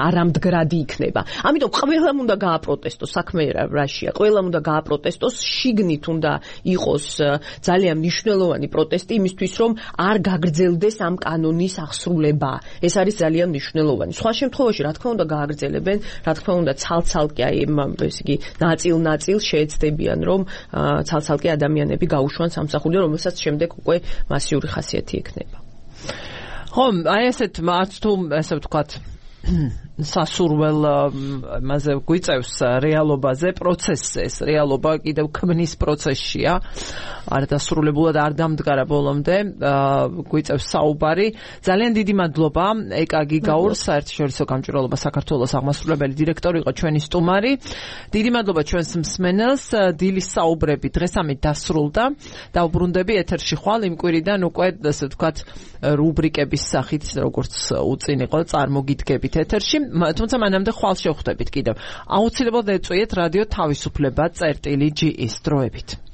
არამდგრადი იქნება. ამიტომ ყველამ უნდა გააპროტესტოს, საქმე რაშია, ყველამ უნდა გააპროტესტოს, შიგნით უნდა იყოს ძალიან მნიშვნელოვანი პროტესტი იმისთვის, რომ არ გაგრძელდეს ამ კანონის ახსრულება. ეს არის ძალიან მნიშვნელოვანი. სხვა შემთხვევაში რა თქმა უნდა გააგრძელებენ, რა თქმა უნდა ცალ-ცალკე აი ესე იგი ნაწილ-ნაწილ შეეცდებიან, რომ ცალ-ცალკე ადამიანები გაუშვან სამსახური, რომელსაც შემდეგ უკვე მასიური ხასიათი ექნება. ხო, აი ესეთ მარც თუ ესე ვთქვათ სასურველ მასე გვიწევს რეალობაზე, პროცესზე, ეს რეალობა კიდევ ქმნის პროცესშია. არ დასრულებულად არ დამდგარა ბოლომდე, გვიწევს საუბარი. ძალიან დიდი მადლობა ეკა გიგაურს, საერთაშორისო გამჭვირვალობა საქართველოს აღმასრულებელი დირექტორი იყო ჩვენი სტუმარი. დიდი მადლობა ჩვენს მსმენელს. დილის საუბრები დღეს ამით დასრულდა. დავბრუნდები ეთერში ხვალ იმ კვირიდან უკვე ასე ვთქვათ რუბრიკების სახით, როგორც უწინ იყო წარმოგიდგებით ეთერში. თუმცა მანამდე ხვალ შევხვდებით კიდევ. აუცილებლად ეწვიეთ რადიო თავისუფლება წერტილი GE-ის დროებით.